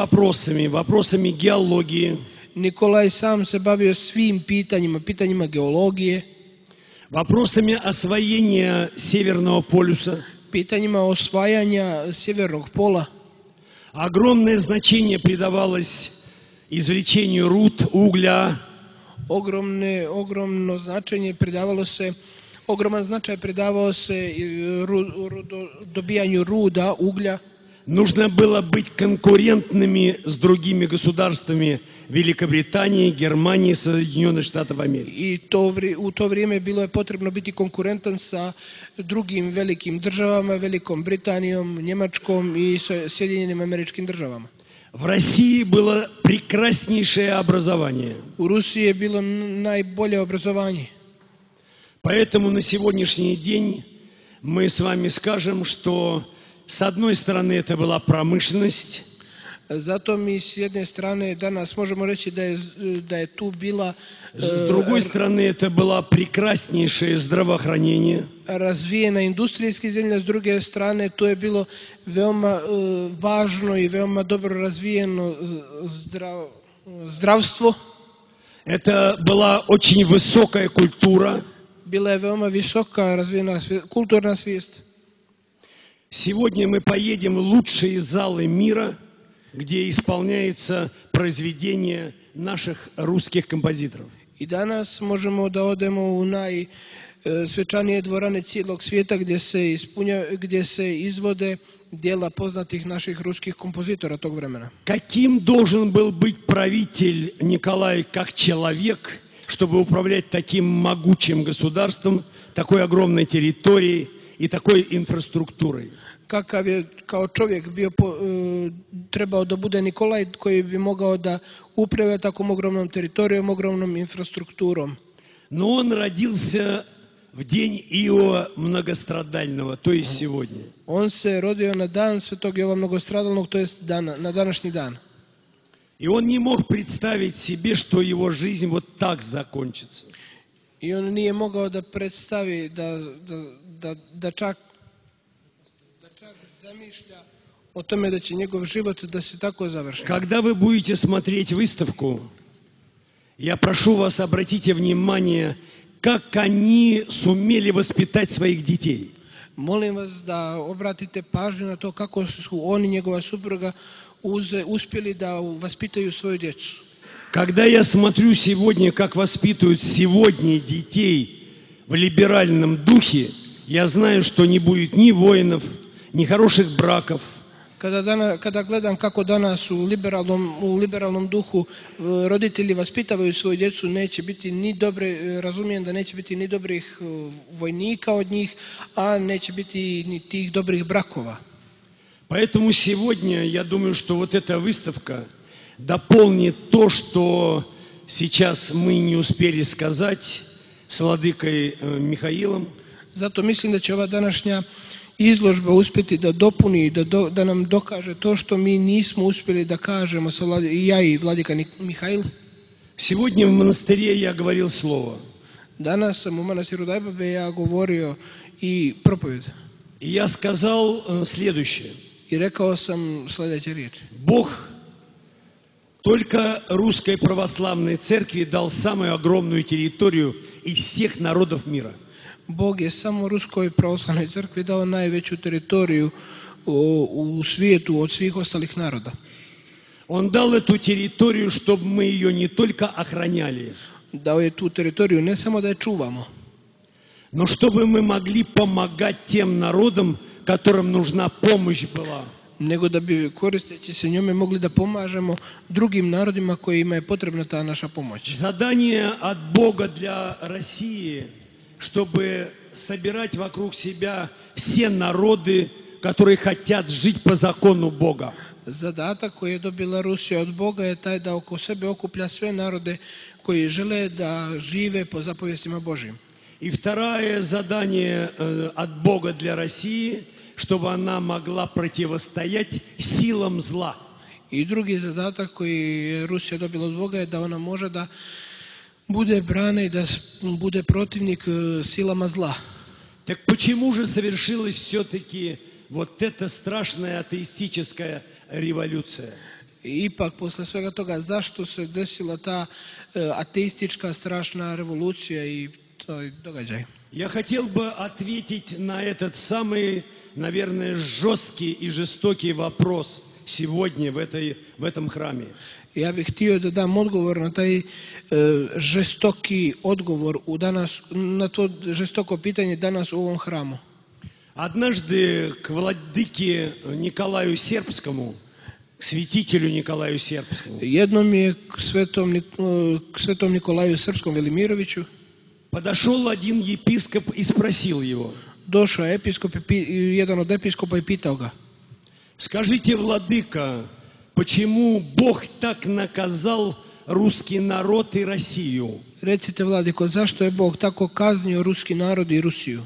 вопросами геологии,
Nikolaj sam se bavio svim pitanjima geologije,
вопросами освоения Северного полюса.
pitanjima osvajanja sjevernog pola.
Огромное значение придавалось извлечению руд, угля.
Ogroman značaj pridavao se dobijanju ruda, uglja.
Нужно было быть конкурентными с другими государствами Великобритании, Германии, Соединенных Штатов Америки.
I u to vrijeme bilo je potrebno biti konkurentan sa drugim velikim državama, Velikom Britanijom, Njemačkom i Sjedinjenim Američkim Državama.
В России было прекраснейшее образование.
U Rusiji je bilo najbolje obrazovanje.
Поэтому на сегодняшний день мы с вами скажем, что с одной стороны это была промышленность,
Zato mi s jedne strane danas možemo reći da je tu bila
с другой стороны это было прекраснейшее здравоохранение,
razvijena industrijska zemlja, s druge strane to je bilo veoma važno i veoma dobro razvijeno zdravstvo.
это была очень высокая культура.
Bila je veoma visoka razvijena kulturna svijest.
Сегодня мы поедем в лучшие залы мира, где исполняется произведение наших русских композиторов.
I danas možemo da odemo u najsvečanije dvorane cijelog svijeta gdje se izvode djela poznatih naših ruskih kompozitora tog vremena.
Каким должен был быть правитель Николай как человек, чтобы управлять таким могучим государством, такой огромной территорией и такой инфраструктурой?
Kakav je kao čovjek trebao da bude Nikolaj koji bi mogao da upravlja takvom ogromnom teritorijom, ogromnom infrastrukturom.
Но он родился в день Иова Многострадального, то есть сегодня.
On se rodio na dan Svetog Jova Mnogostradalnog, to jest na današnji dan.
И он не мог представить себе, что его жизнь вот так закончится.
I on nije mogao da predstavi da čak zamišlja o tome da će njegov život da se tako završi.
Когда вы будете смотреть выставку, я прошу вас, обратите внимание, как они сумели воспитать своих детей.
Molim vas da obratite pažnju na to kako su on i njegova supruga uspjeli da vaspitaju svoju djecu.
Когда я смотрю сегодня, как воспитывают сегодня детей в либеральном духе, я знаю, что не будет ни воинов, ни хороших браков.
Kada gledam kako danas u liberalnom duhu roditelji vaspitavaju svoju djecu, neće biti ni dobre, razumijem da neće biti ni dobrih vojnika od njih, a neće biti ni tih dobrih brakova.
Поэтому сегодня я думаю, что вот эта выставка дополнит то, что сейчас мы не успели сказать с владыкой Михаилом.
Zato mislim da će ova današnja izložba uspjeti da dopuni, da nam dokaže to što mi nismo uspjeli da kažemo ja i vladika Mihail.
Сегодня в монастыре я говорил слово.
Danas sam u manastiru Dajbave ja govorio i проповедь.
И я сказал следующее.
I rekao sam sljedeće riječi.
Бог только Русской Православной Церкви дал самую огромную территорию из всех народов мира.
Bog je samo Ruskoj pravoslavnoj crkvi dao najveću teritoriju u svijetu od svih ostalih naroda.
Он дал эту территорию, чтобы мы ее не только охраняли,
Dao je tu teritoriju ne samo da je čuvamo,
но чтобы мы могли помогать тем народам, которым нужна помощь была.
nego da bi koristeći se njome mogli da pomažemo drugim narodima kojima je potrebna ta naša pomoć.
Задание от Бога для России, чтобы собирать вокруг себя все народы, которые хотят жить по закону Бога.
Zadatak koji je dobila Rusija od Boga je taj da oko sebe okuplja sve narode koji žele da žive po zapovjestima Božjim.
И второе задание от Бога для России, чтобы она могла противостоять силам зла.
I drugi zadatak koji je Rusija dobila od Boga je da ona može da bude brana i da bude protivnik silama zla.
Так почему же совершилась все-таки вот эта страшная атеистическая революция?
Ipak, posle svega toga, zašto se desila ta ateistička strašna revolucija i taj događaj?
Я хотел бы ответить на этот самый, наверное, жесткий и жестокий вопрос сегодня в этом храме.
Ja bih htio da dam odgovor na taj žestoki odgovor na to žestoko pitanje danas u ovom hramu.
Однажды к владыке Николаю Сербскому, к святителю Николаю Сербскому,
Jednom je k svetom Nikolaju Srpskom Velimiroviću
подошел один епископ и спросил его:
došao episkop i jedan od episkopa i pitao ga:
скажите, владыка, почему Бог так наказал русский народ и Россию?
Recite, vladiko, zašto je Bog tako kaznio ruski narod i Rusiju?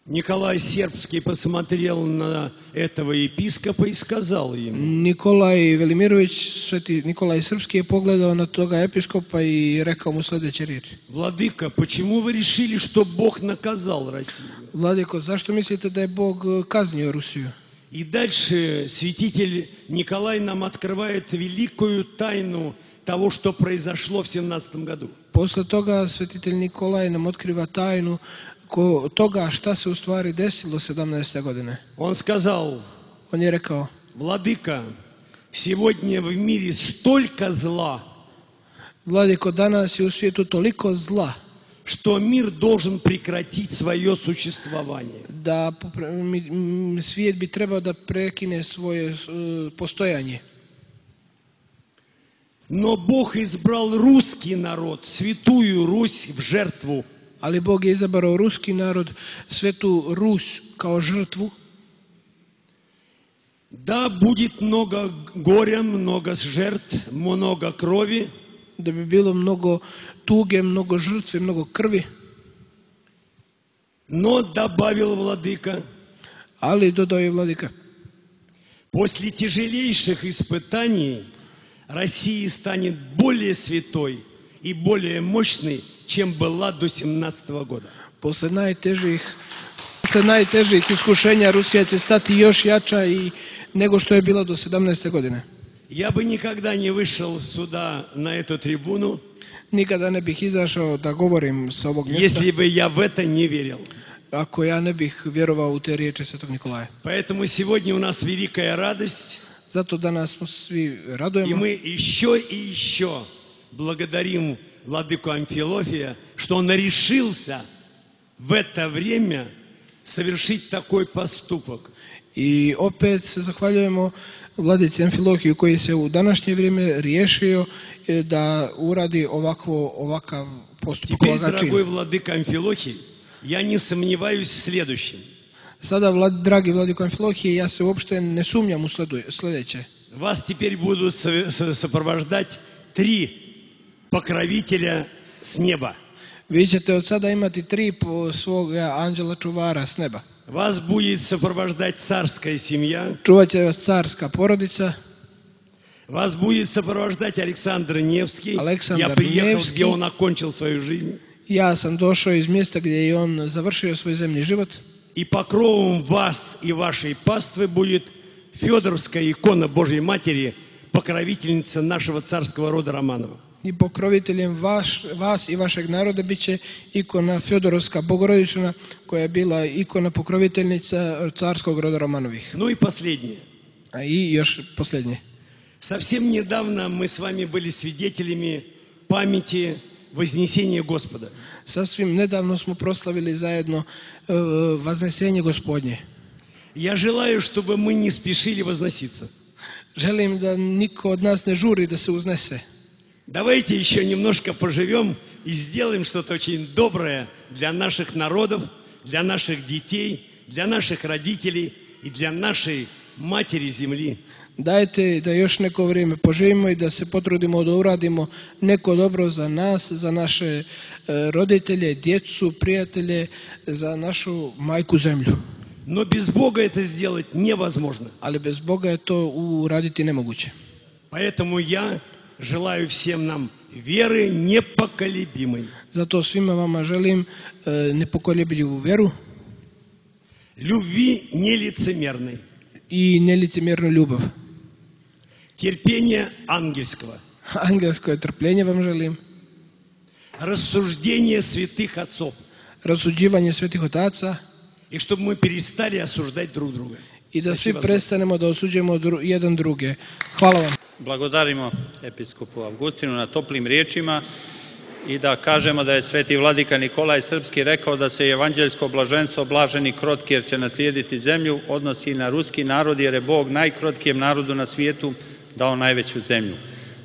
Николай Сербский посмотрел на этого епископа и сказал ему:
Nikolaj Velimirović, sveti Nikolaj Srpski je pogledao na toga episkopa i rekao mu sljedeće riječi:
владыка, почему вы решили, что Бог наказал Россию?
Vladiko, zašto mislite da je Bog kaznio Rusiju?
И дальше святитель Николай нам открывает великую тайну того, что произошло в 17 году.
Posle toga svetitelj Nikolaj nam otkriva tajnu toga šta se u stvari desilo 17. godine.
Он сказал:
On je rekao:
владыка, сегодня в мире столько зла,
Vladiko, danas je u svijetu toliko zla
что мир должен прекратить свое существование.
da svijet bi trebao da prekine svoje postojanje.
Но Бог избрал русский народ, святую Русь, в жертву.
Ali Bog je izabrao ruski narod, svetu Rus, kao žrtvu.
Да, будет много горя, много жертв, много крови.
Da bi bilo mnogo tuge, mnogo žrtve, mnogo krvi.
Но, добавил владыка,
Ali, dodao je vladika,
после тяжелейших испытаний Россия станет более святой и более мощной, чем была до 17 года.
posle najtežih iskušenja Rusija će stati još jača nego što je bila do 17. godine.
Я бы никогда не вышел сюда, на эту трибуну,
Nikada ne bih izašao da govorim sa ovog mjesta,
если бы я в это не верил.
ako ja ne bih vjerovao u te riječi Svetog Nikolaja.
Поэтому сегодня у нас великая радость,
Zato danas smo svi
и
radujemo
мы еще благодарим владыку Амфилофия, что он решился в это время совершить такой поступок.
i opet se zahvaljujemo vladici Amfilohiju koji se u današnje vrijeme riješio da uradi ovakav postupak,
Теперь,
ovakav čin.
дорогой владыка Амфилохий, я не сомневаюсь в следующем.
Sada, dragi vladiko Amfilohije, ja se uopšte ne sumnjam u sljedeće.
Вас теперь будут сопровождать 3 покровителя с неба.
Vi ćete od sada imati 3 svoga anđela čuvara s neba.
Вас будет сопровождать царская семья.
Čuvat će vas carska porodica.
Вас будет сопровождать Александр Невский.
Александр
Я приехал,
Невский.
где он окончил свою жизнь.
Ja sam došao iz mjesta gdje je on završio svoj zemlji život.
И покровом вас и вашей паствы будет Федоровская икона Божьей Матери, покровительница нашего царского рода Романова.
I pokroviteljem vas i vašeg naroda bit će ikona Fjodorovska Bogorodična, koja je bila ikona pokroviteljnica carskog roda Romanovih.
Ну и последнее.
A i još posljednje.
Совсем недавно мы с вами были свидетелями памяти Вознесения Господа.
Sasvim nedavno smo proslavili zajedno Vaznesenje Gospodnje.
Я желаю, чтобы мы не спешили возноситься.
Želim da niko od nas ne žuri da se uznese.
Давайте еще немножко поживем и сделаем что-то очень доброе для наших народов, для наших детей, для наших родителей и для нашей Матери Земли.
Dajte da još neko vrijeme poživimo i da se potrudimo da uradimo neko dobro za nas, za naše roditelje, djecu, prijatelje, za našu majku zemlju.
Но без Бога это сделать невозможно.
Ali bez Boga je to uraditi nemoguće.
Поэтому я желаю всем нам веры непоколебимой.
Zato svima vama želim nepokolebljivu vjeru
Любви нелицемерной.
i nelicemjernu ljubav.
Терпения ангельского.
Angelsko trpljenje vam želim.
Рассуждения святых отцов.
Rasuđivanje svetih otaca.
И чтобы мы перестали осуждать друг друга.
I da svi prestanemo da osuđujemo jedan druge. Hvala vam.
Blagodarimo episkopu Augustinu na toplim riječima i da kažemo da je sveti vladika Nikolaj Srpski rekao da se evanđeljsko blaženstvo blaženi krotki jer će naslijediti zemlju odnosi na ruski narod jer je Bog najkrotkijem narodu na svijetu dao najveću zemlju.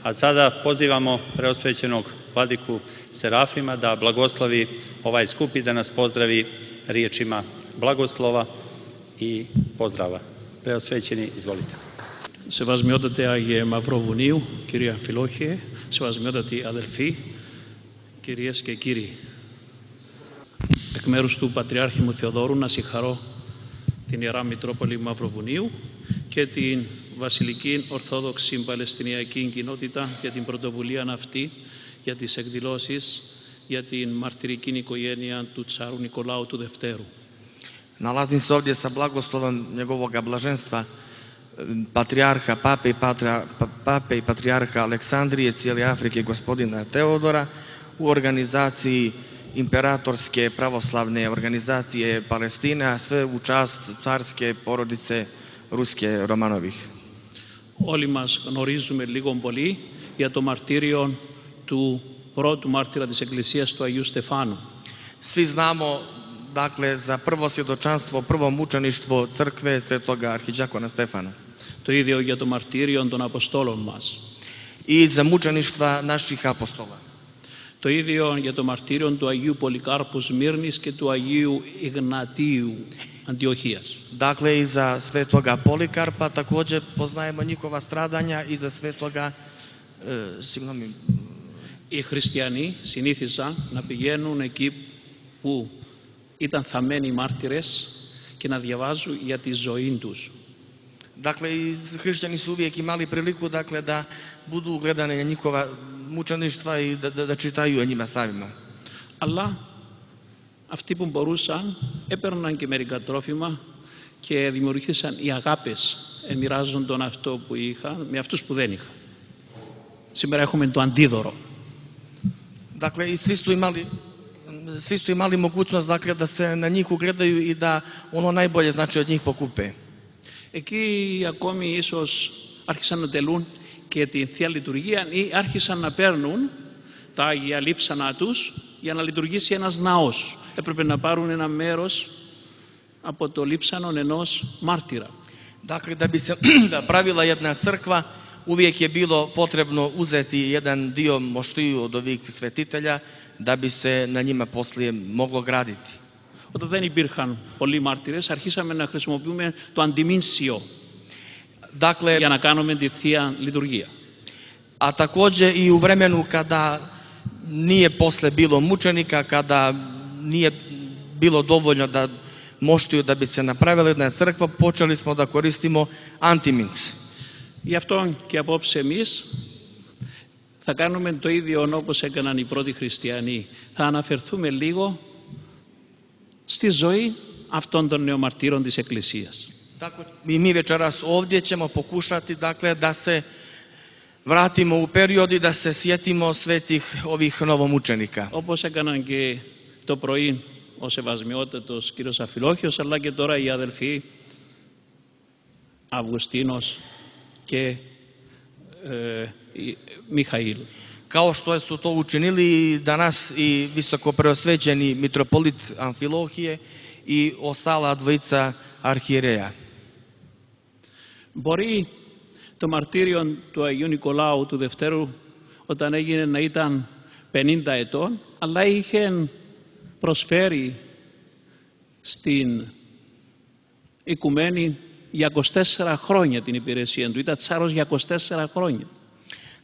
A sada pozivamo preosvećenog vladiku Serafima da blagoslovi ovaj skup i da nas pozdravi riječima blagoslova i pozdrava. Preosvećeni, izvolite.
Σεβασμιότατε Άγιε Μαυροβουνίου, κύριε Αμφιλόχιε, σεβασμιότατοι αδελφοί, κυρίες και κύριοι. Εκ μέρους του Πατριάρχη μου Θεοδόρου να συγχαρώ την Ιερά Μητρόπολη Μαυροβουνίου και την Βασιλική Ορθόδοξη Παλαιστινιακή Κοινότητα για την πρωτοβουλία αυτή, για τις εκδηλώσεις για την μαρτυρική οικογένεια του Τσάρου Νικολάου του Δευτέρου.
Nalazim se ovdje sa blagoslovom njegovoga blaženstva, patrijarha, pape i patrijarha Aleksandrije, cijele Afrike, gospodina Teodora, u organizaciji imperatorske pravoslavne organizacije Palestine, a sve u čast carske porodice ruske Romanovih.
Όλοι μας γνωρίζουμε λίγο πολύ για το μαρτύριο του πρώτου μάρτυρα της Εκκλησίας του Αγίου Στεφάνου.
Svi znamo, dakle, za prvo svjedočanstvo, prvo mučeništvo crkve svetoga arhidžakona Stefana.
Το ίδιο για το μαρτύριο των Αποστόλων μας.
I za mučeništva naših apostola.
Το ίδιο για το μαρτύριο του Αγίου Πολυκάρπου Σμύρνης και του Αγίου Ιγνατίου Αντιοχίας.
Dakle, i za svetoga Polikarpa također poznajemo njihova stradanja i za svetoga
Οι χριστιανοί συνήθισαν να πηγαίνουν εκεί που ήταν θαμμένοι μάρτυρες και να διαβάζουν για τη ζωή τους.
Dakle, i hrišćani su uvijek imali priliku, dakle, da budu gledane na njihova mučeništva i da čitaju o njima samima.
Αλλά αυτοί που μπορούσαν έπαιρναν και μερικά τρόφιμα και δημιουργήθησαν οι αγάπες, μοιράζονταν αυτό που είχαν με αυτούς που δεν είχαν. Σήμερα έχουμε το αντίδωρο.
Dakle, i svi su imali svi su imali mogućnost dakle, da se na njih ugledaju i da ono najbolje znači od njih pokupe.
Εκεί ακόμη ίσως άρχισαν να τελούν και τη Θεία Λειτουργία ή άρχισαν να παίρνουν τα Άγια Λείψανα τους για να λειτουργήσει ένας ναός. Έπρεπε να πάρουν ένα μέρος από το λείψανο ενός μάρτυρα.
Dakle, da bi se pravila jedna crkva, uvijek je bilo potrebno uzeti jedan dio moštiju od ovih svetitelja da bi se na njima poslije moglo graditi.
Όταν δεν υπήρχαν πολλοί μάρτυρες, αρχίσαμε να χρησιμοποιούμε το αντιμήνσιο για να κάνουμε τη Θεία Λειτουργία.
A također i u vremenu kada nije posle bilo mučenika, kada nije bilo dovoljno da moštiju da bi se napravila jedna crkva, počeli smo da koristimo antiminc.
Γι' αυτό και απόψε εμείς θα κάνουμε το ίδιο όπως έκαναν οι πρώτοι χριστιανοί. Θα αναφερθούμε λίγο στη ζωή αυτών των νεομαρτύρων της Εκκλησίας.
Tako i mi večeras ovdje ćemo pokušati dakle da se vratimo u period i da se sjetimo svetih ovih novomučenika.
Όπως έκαναν και το πρωί ο Σεβασμιότατος κύριος Αφιλόχιος, αλλά και τώρα οι αδελφοί Αυγουστίνος και Mihail.
Kao što su to učinili danas i visoko preosvećeni mitropolit Amfilohije i ostala dvojica arhijereja.
Μπορεί το μαρτύριο του Αγίου Νικολάου του Δευτέρου όταν έγινε να ήταν 50 ετών, αλλά είχε προσφέρει στην οικουμένη για 24 χρόνια την υπηρεσία του. Ήταν τσάρος για 24 χρόνια.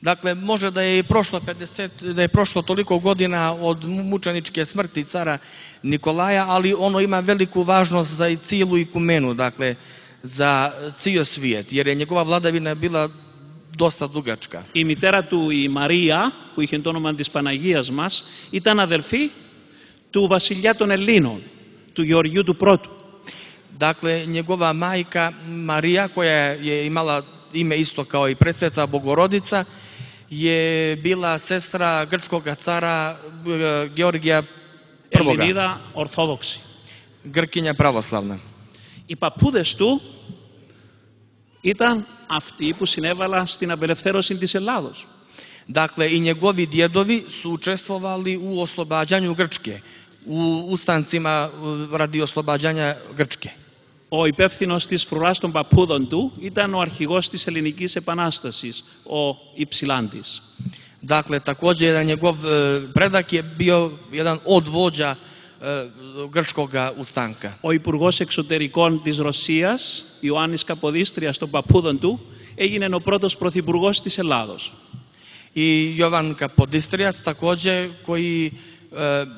Dakle, može da je prošlo toliko godina od mučeničke smrti cara Nikolaja, ali ono ima veliku važnost za cijelu ikumenu, dakle, za cijel svijet, jer je njegova vladavina bila dosta dugačka.
Η μητέρα του, η Μαρία, που είχε το όνομα της Παναγίας μας, ήταν αδελφή του βασιλιά των Ελλήνων, του Γεωργίου του Πρώτου.
Dakle, njegova majka Marija, koja je imala ime isto kao i presveta Bogorodica, je bila sestra grčkog cara Georgija I.
Ελληνίδα Ορθόδοξη.
Grkinja pravoslavna.
Οι παππούδες του ήταν αυτοί που συνέβαλαν στην απελευθέρωση της Ελλάδος.
Dakle, i njegovi djedovi su učestvovali u oslobađanju Grčke, u ustancima radi oslobađanja Grčke.
Ο υπεύθυνος της φρουράς των παππούδων του ήταν ο αρχηγός της Ελληνικής Επανάστασης, ο Υψηλάντης.
Dakle, također jedan njegov predak je bio jedan od vođa grčkog ustanka.
Ο υπουργός εξωτερικών της Ρωσίας, Ιωάννης Καποδίστριας των παππούδων του, έγινε ο πρώτος πρωθυπουργός της Ελλάδος.
I Jovan Kapodistrijac također koji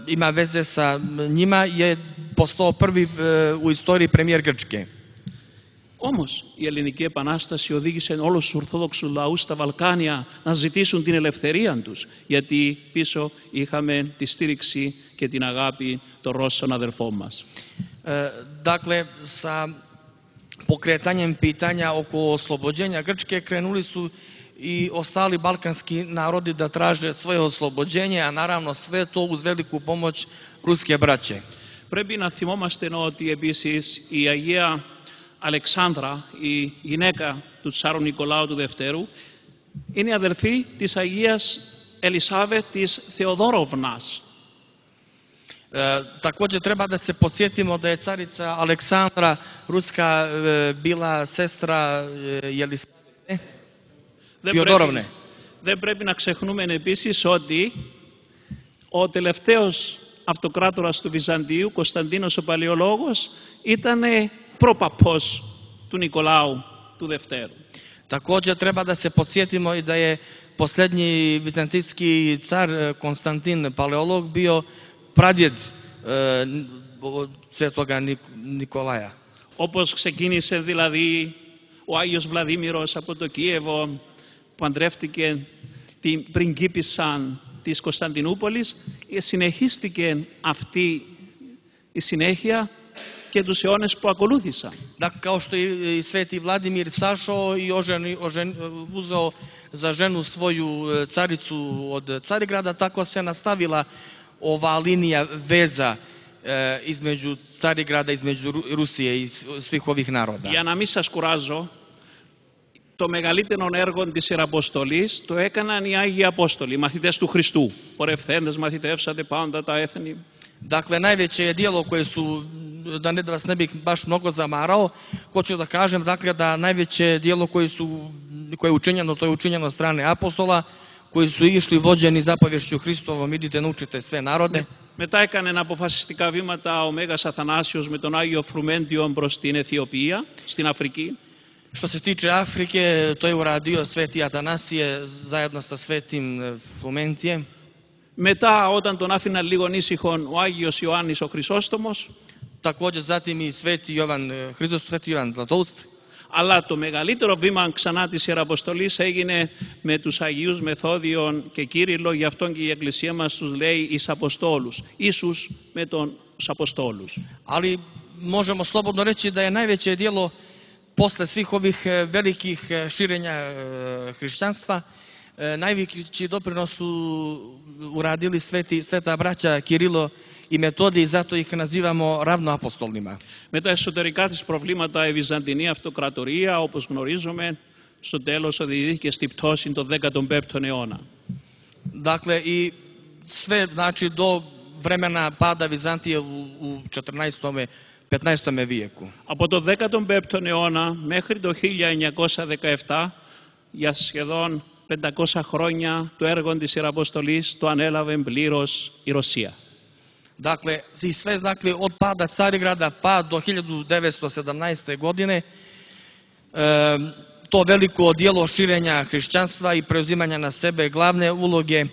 ima veze sa njima je postao prvi u istoriji premijer Grčke.
Όμως η Ελληνική Επανάσταση οδήγησε όλους τους Ορθόδοξους λαούς στα Βαλκάνια να ζητήσουν την ελευθερία τους, γιατί πίσω είχαμε τη στήριξη και την αγάπη των Ρώσων αδελφών μας.
Dakle, sa pokretanjem pitanja oko oslobođenja Grčke krenuli su i ostali balkanski narodi da traže svoje oslobođenje, a naravno sve to uz veliku pomoć ruske braće.
Πρέπει να θυμόμαστε ότι επίσης η Αγία Αλεξάνδρα, η γυναίκα του Τσάρου Νικολάου του Δευτέρου, είναι αδελφή της Αγίας Ελισάβετ της Θεοδόροβνας.
Također treba da se podsjetimo da je carica Aleksandra Ruska bila sestra Jelisavete Θεοδόροβνε.
Δεν πρέπει να ξεχνούμε επίσης ότι ο τελευταίος αυτοκράτορας του Βυζαντίου, Κωνσταντίνος ο Παλαιολόγος, ήταν προπαπός του Νικολάου του Δευτέρου.
Također treba da se podsjetimo i da je posljednji vizantijski car Konstantin Paleolog bio pradjed svetoga Nikolaja.
Όπως ξεκίνησε δηλαδή ο Άγιος Βλαδίμηρος από το Κίεβο, παντρεύτηκε την πριγκίπισσα της Κωνσταντινούπολης, συνεχίστηκε αυτή η συνέχεια και τους αιώνες που ακολούθησαν.
Dakle, kao što je i sveti Vladimir sašao i uzeo za ženu svoju caricu od Carigrada, tako se nastavila ova linija veza između Carigrada, između Rusije i svih ovih naroda.
Για να μην σας κουράζω, το μεγαλύτερο έργο της Ιεραποστολής το έκαναν οι Άγιοι Απόστολοι, οι μαθητές του Χριστού. Πορευθέντες μαθητεύσατε πάντα τα έθνη.
Dakle, najveće je dijelo koje su, da vas ne bih baš mnogo zamarao, hoću da kažem dakle, da najveće dijelo koje je učinjeno, to je učinjeno od strane apostola, koji su išli vođeni zapovješću Hristovom, idite naučite sve narode.
Μετά έκανε αποφασιστικά βήματα ο Μέγας Αθανάσιος με τον Άγιο Φρουμέντιο προς την Αιθιοπία, στην Αφρική.
Što se tiče Afrike, to je uradio Sveti Atanasije zajedno sa Svetim Frumentijem.
Μετά, όταν τον άφηναν λίγο ήσυχον, ο Άγιος Ιωάννης ο Χρυσόστομος.
Također zatim i Sveti Jovan Zlatoust.
Αλλά το μεγαλύτερο βήμα ξανά της Ιεραποστολής έγινε με τους Αγίους Μεθόδιον και Κύριλλο, γι' αυτόν και η Εκκλησία μας τους λέει εις Αποστόλους, Ίσους με τους Αποστόλους.
Ali možemo slobodno reći da je najveće dijelo posle svih ovih velikih širenja hrišćanstva, najveći doprinos su uradili sveta braća Kirilo i Metodij, zato ih nazivamo ravnoapostolnima.
Με τα εσωτερικά της προβλήματα η Βυζαντινή Αυτοκρατορία, όπως γνωρίζουμε, στο τέλος οδηγήθηκε στη πτώση το 15ο αιώνα.
Dakle, i sve, znači, do vremena pada Vizantije u 14. 15. vijeku.
Από το 15ο αιώνα μέχρι το 1917, για σχεδόν 500 χρόνια, το έργο της Ιεραποστολής το ανέλαβε πλήρως η Ρωσία.
Dakle, i sve, dakle, od pada Carigrada pa do 1917. godine, to veliko dijelo širenja hrišćanstva i preuzimanja na sebe glavne uloge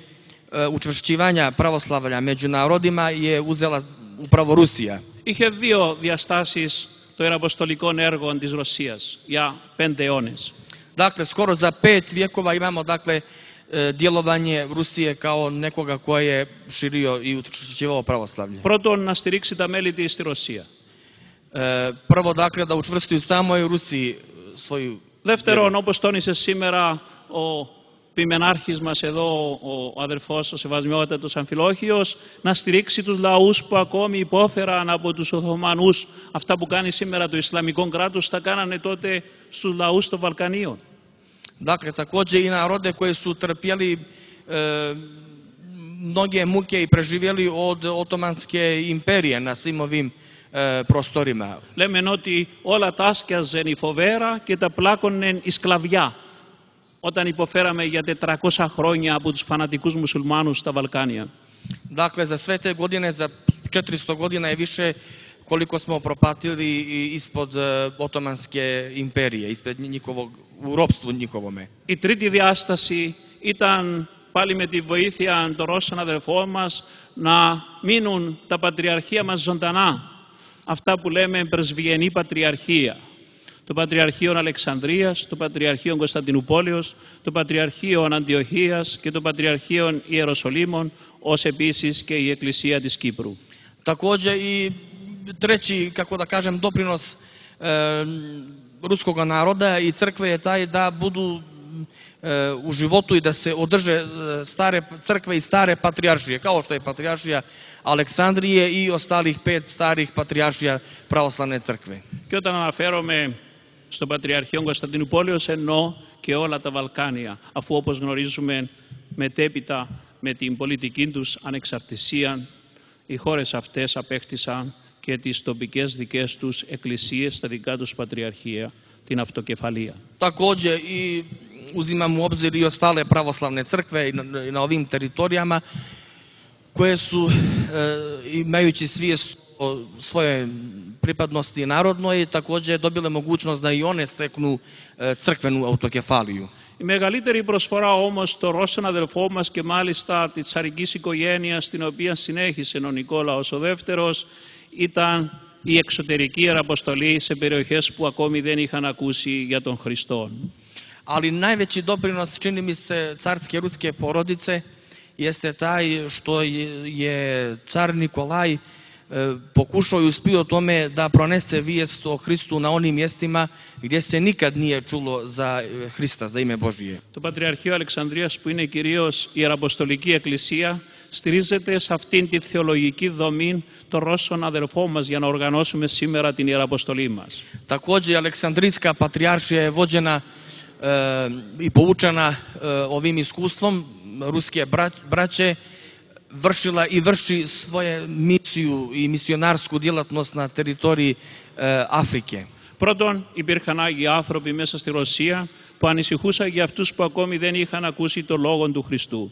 učvršćivanja pravoslavlja među narodima je uzela upravo Rusija.
Είχε δύο διαστάσεις το ιεραποστολικό έργο της Ρωσίας για 5 αιώνες.
Dakle, skoro za 5 vjekova imamo, dakle, djelovanje Rusije kao nekoga ko je širio i učvršćivao pravoslavlje.
Πρώτον, να στηρίξει τα μέλη της στη Ρωσία.
Prvo, dakle, da učvrsti u samoj Rusiji svoju...
Δεύτερον, όπως τόνισε σήμερα ο ποιμενάρχης μας εδώ, ο αδερφός, ο Σεβασμιότατος Αμφιλόχιος, να στηρίξει τους λαούς που ακόμη υπόφεραν από τους Οθωμανούς. Αυτά που κάνει σήμερα το Ισλαμικό κράτος, τα κάνανε τότε στους λαούς των Βαλκανίων.
Dakle, također i narode koji su trpjeli mnoge muke i preživjeli od Otomanske imperije na svim ovim prostorima.
Λέμε ότι όλα τα άσκιαζεν η φοβέρα και τα πλάκωνεν η σκλαβιά, όταν υποφέραμε για 400 χρόνια από τους φανατικούς μουσουλμάνους στα Βαλκάνια.
Dakle, za sve te godine, za 400 godina je više koliko smo propatili ispod Otomanske imperije, ispred njihovog, u ropstvu njihovome.
Η τρίτη διάσταση ήταν πάλι με τη βοήθεια των Ρώσων αδερφών μας να μείνουν τα πατριαρχία μας ζωντανά. Αυτά που λέμε πρεσβειενή πατριαρχία. Το Πατριαρχείο Αλεξανδρίας, το Πατριαρχείο Κωνσταντινούπολεως, το Πατριαρχείο Αντιοχίας και το Πατριαρχείο Ιεροσολύμων, ως επίσης και η Εκκλησία της Κύπρου.
Također i treći, kako da kažem, doprinos ruskog naroda i crkve je taj da budu u životu i da se održe stare crkve i stare patrijaršije, kao što je patrijaršija Aleksandrije i ostalih 5 starih patrijaršija pravoslavne crkve.
Και όταν αναφέρομαι στο Πατριαρχείο Κωνσταντινούπολεως εννοώ και όλα τα Βαλκάνια, αφού όπως γνωρίζουμε μετέπειτα με την πολιτική τους ανεξαρτησία οι χώρες αυτές απέκτησαν και τις τοπικές δικές τους εκκλησίες, τα δικά τους πατριαρχία, την αυτοκεφαλία.
Također i uzimam u obzir i ostale pravoslavne crkve i na ovim teritorijama koje su, imajući svijest o svoje pripadnosti narodnoj, također dobile mogućnost da i one steknu crkvenu autokefaliju.
Η μεγαλύτερη προσφορά όμως των Ρώσων αδελφών μας και μάλιστα της τσαρικής οικογένειας, την οποία συνέχισε ο Νικόλαος ο Δεύτερος, ήταν η εξωτερική ιεραποστολή σε περιοχές που ακόμη δεν είχαν ακούσει για τον Χριστό.
Ali najveći doprinos, čini mi se, carske ruske porodice jeste taj što je car Nikolaj pokušao i uspio tome da pronese vijest o Hristu na onim mjestima gdje se nikad nije čulo za Hrista, za ime Božije.
Το Πατριαρχείο Αλεξανδρίας, που είναι κυρίως η Ιεραποστολική Εκκλησία, στηρίζεται σε αυτήν τη θεολογική δομή των Ρώσων αδερφών μας για να οργανώσουμε σήμερα την Ιεραποστολή μας.
Takođe, Aleksandrijska patrijaršija je vođena i poučena ovim iskustvom ruske braće, vršila i vrši svoju misiju i misionarsku djelatnost na teritoriji Afrike.
Πρώτον, υπήρχαν Άγιοι άνθρωποι μέσα στη Ρωσία που ανησυχούσαν για αυτούς που ακόμη δεν είχαν ακούσει το λόγο του Χριστού.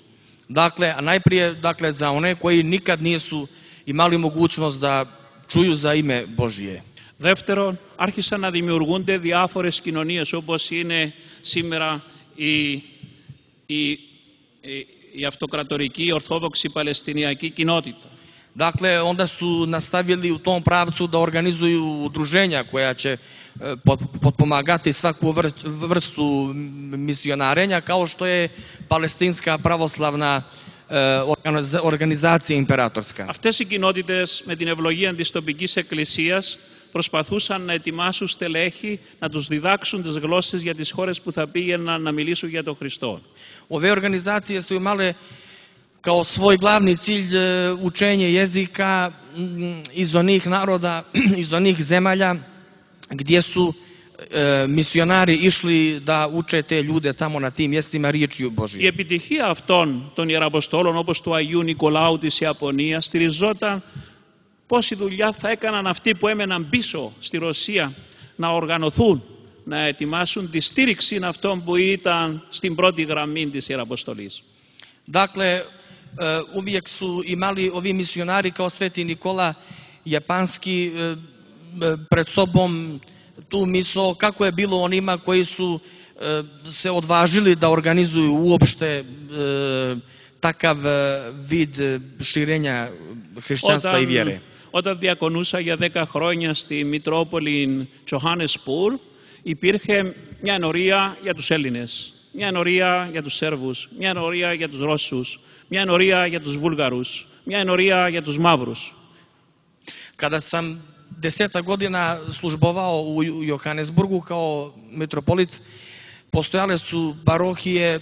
Dakle, a najprije za one koji nikad nisu imali mogućnost da čuju za ime Božije.
Δεύτερον, άρχισαν να δημιουργούνται διάφορες κοινωνίες όπως είναι σήμερα η αυτοκρατορική Ορθόδοξη Παλαιστινιακή κοινότητα.
Dakle, onda su nastavili u tom pravcu da organizuju udruženja koja će potpomagati svaku vrstu misionarenja, kao što je Palestinska pravoslavna organizacija imperatorska.
Αυτές οι κοινότητες με την ευλογία της τοπικής εκκλησίας προσπαθούσαν να ετοιμάσουν στελέχη, να τους διδάξουν τις γλώσσες για τις χώρες που θα πήγαιναν να μιλήσουν για τον Χριστό.
Ove organizacije su imale kao svoj glavni cilj učenje jezika iz onih naroda, iz onih zemalja gdje su misionari išli da uče te ljude tamo na tim mjestima riječju Božije.
Η επιτυχία αυτών των Ιεραποστόλων όπως του Αγίου Νικολάου της Ιαπωνίας στηριζόταν πόση δουλειά θα έκαναν αυτοί που έμεναν πίσω στη Ρωσία να οργανωθούν, να ετοιμάσουν τη στήριξη αυτών που ήταν στην πρώτη γραμμή της Ιεραποστολής.
Dakle, uvijek su imali ovi misionari kao Sveti Nikola Japanski pred sobom tu misao kako je bilo onima koji su se odvažili da organizuju uopšte takav vid širenja hrišćanstva i vjere.
Όταν διακονούσα για 10 χρόνια στη Μητρόπολη Τζοχάνεσπουρ, υπήρχε μια ενορία για τους Έλληνες, μια ενορία για τους Σέρβους, μια ενορία για τους Ρώσους, μια ενορία για τους Βούλγαρους, μια ενορία για τους Μαύρους.
Kada sam 10 godina službovao u Johannesburgu kao mitropolit, postojale su parohije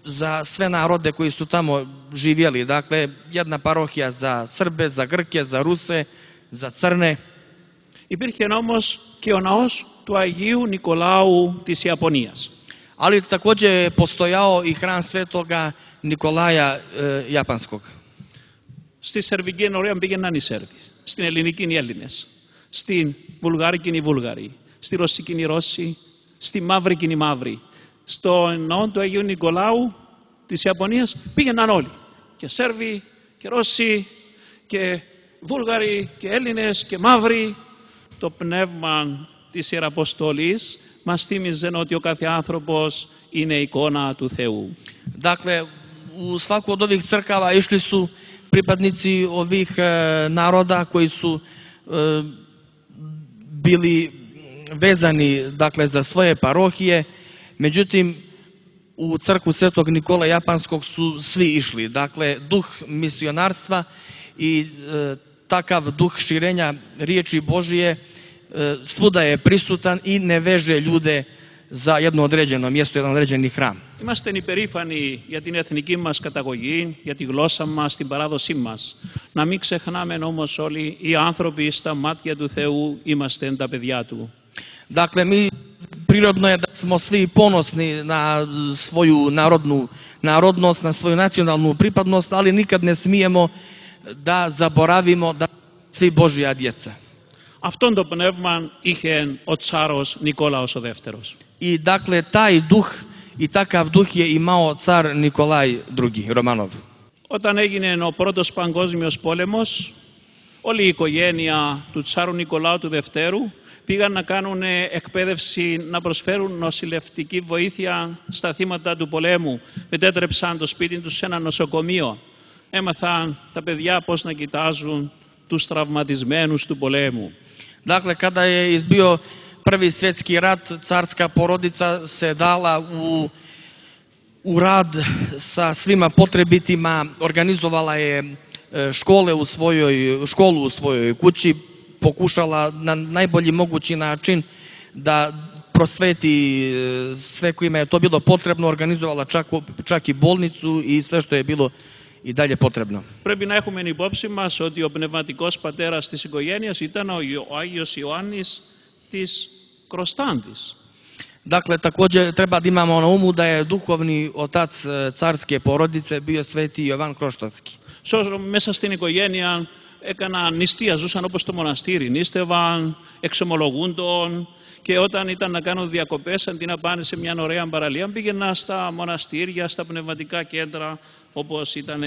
za sve narode koji su tamo živjeli. Dakle, jedna parohija za Srbe, za Grke, za Ruse, za Crne.
Υπήρχε όμως και ο ναός του Αγίου Νικολάου της Ιαπωνίας.
Ali također je postojao i hram Svetoga Nikolaja Japanskog.
Στη Σερβική ενορία πήγαιναν οι Σέρβοι, στην Ελληνική οι Έλληνες, στην Βουλγάρικη οι Βούλγαροι, στη Ρωσική οι Ρώσοι, στη Μαύρικη οι Μαύροι. Στο ναό του Αγίου Νικολάου της Ιαπωνίας πήγαιναν όλοι. Και Σέρβοι και Ρώσοι και Βούλγαροι και Έλληνες και Μαύροι. Το πνεύμα της Ιεραποστολής μας θύμιζε ότι ο κάθε άνθρωπος είναι εικόνα του Θεού.
Dakle, u svaku od ovih crkava išli su pripadnici ovih naroda koji su bili vezani, dakle, za svoje parohije. Međutim, u crkvu Svetog Nikola Japanskog su svi išli. Dakle, duh misionarstva i takav duh širenja riječi Božije svuda je prisutan i ne veže ljude za jedno određeno mjesto, jedan određeni hram.
Είμαστε υπερήφανοι για την εθνική μας καταγωγή, για τη γλώσσα μας, την παράδοσή μας. Να μην ξεχνάμε όμως όλοι οι άνθρωποι στα μάτια του Θεού είμαστε τα παιδιά Του.
Dakle, prirodno je da smo svi ponosni na svoju narodnost, na svoju nacionalnu pripadnost, ali nikad ne smijemo da zaboravimo da svi Božja djeca.
Αυτόν το πνεύμα είχε ο Τσάρος Νικόλαος ο Δεύτερος.
I dakle, taj duh i takav duh je imao car Nikolaj II, Romanov.
Όταν έγινε ο πρώτος παγκόσμιος πόλεμος, όλη η οικογένεια του Τσάρου Νικολάου του Δευτέρου πήγαν να κάνουν εκπαίδευση, να προσφέρουν νοσηλευτική βοήθεια στα θύματα του πολέμου. Μετέτρεψαν το σπίτι τους σε ένα νοσοκομείο. Έμαθαν τα παιδιά πώς να κοιτάζουν τους τραυματισμένους του πολέμου.
Dakle, kada je izbio Prvi svjetski rat, carska porodica se dala u rad sa svima potrebitima, organizovala je školu u svojoj kući, pokušala na najbolji mogući način da prosveti sve kojima je to bilo potrebno, organizovala čak i bolnicu i sve što je bilo i dalje potrebno.
Πρέπει να έχουμε υπόψη μας ότι ο πνευματικός πατέρας της οικογένειας ήταν ο Άγιος Ιωάννης της Κροστάντης.
Dakle, također treba da imamo na umu da je duhovni otac carske porodice bio sveti Jovan Kroštanski.
Μέσα στην οικογένεια έκαναν νηστεία, ζούσαν όπως το μοναστήρι, νήστευαν, εξομολογούντον και όταν ήταν να κάνουν διακοπές αντί να πάνε σε μια ωραία παραλία πήγαιναν στα μοναστήρια, στα πνευματικά κέντρα όπως ήταν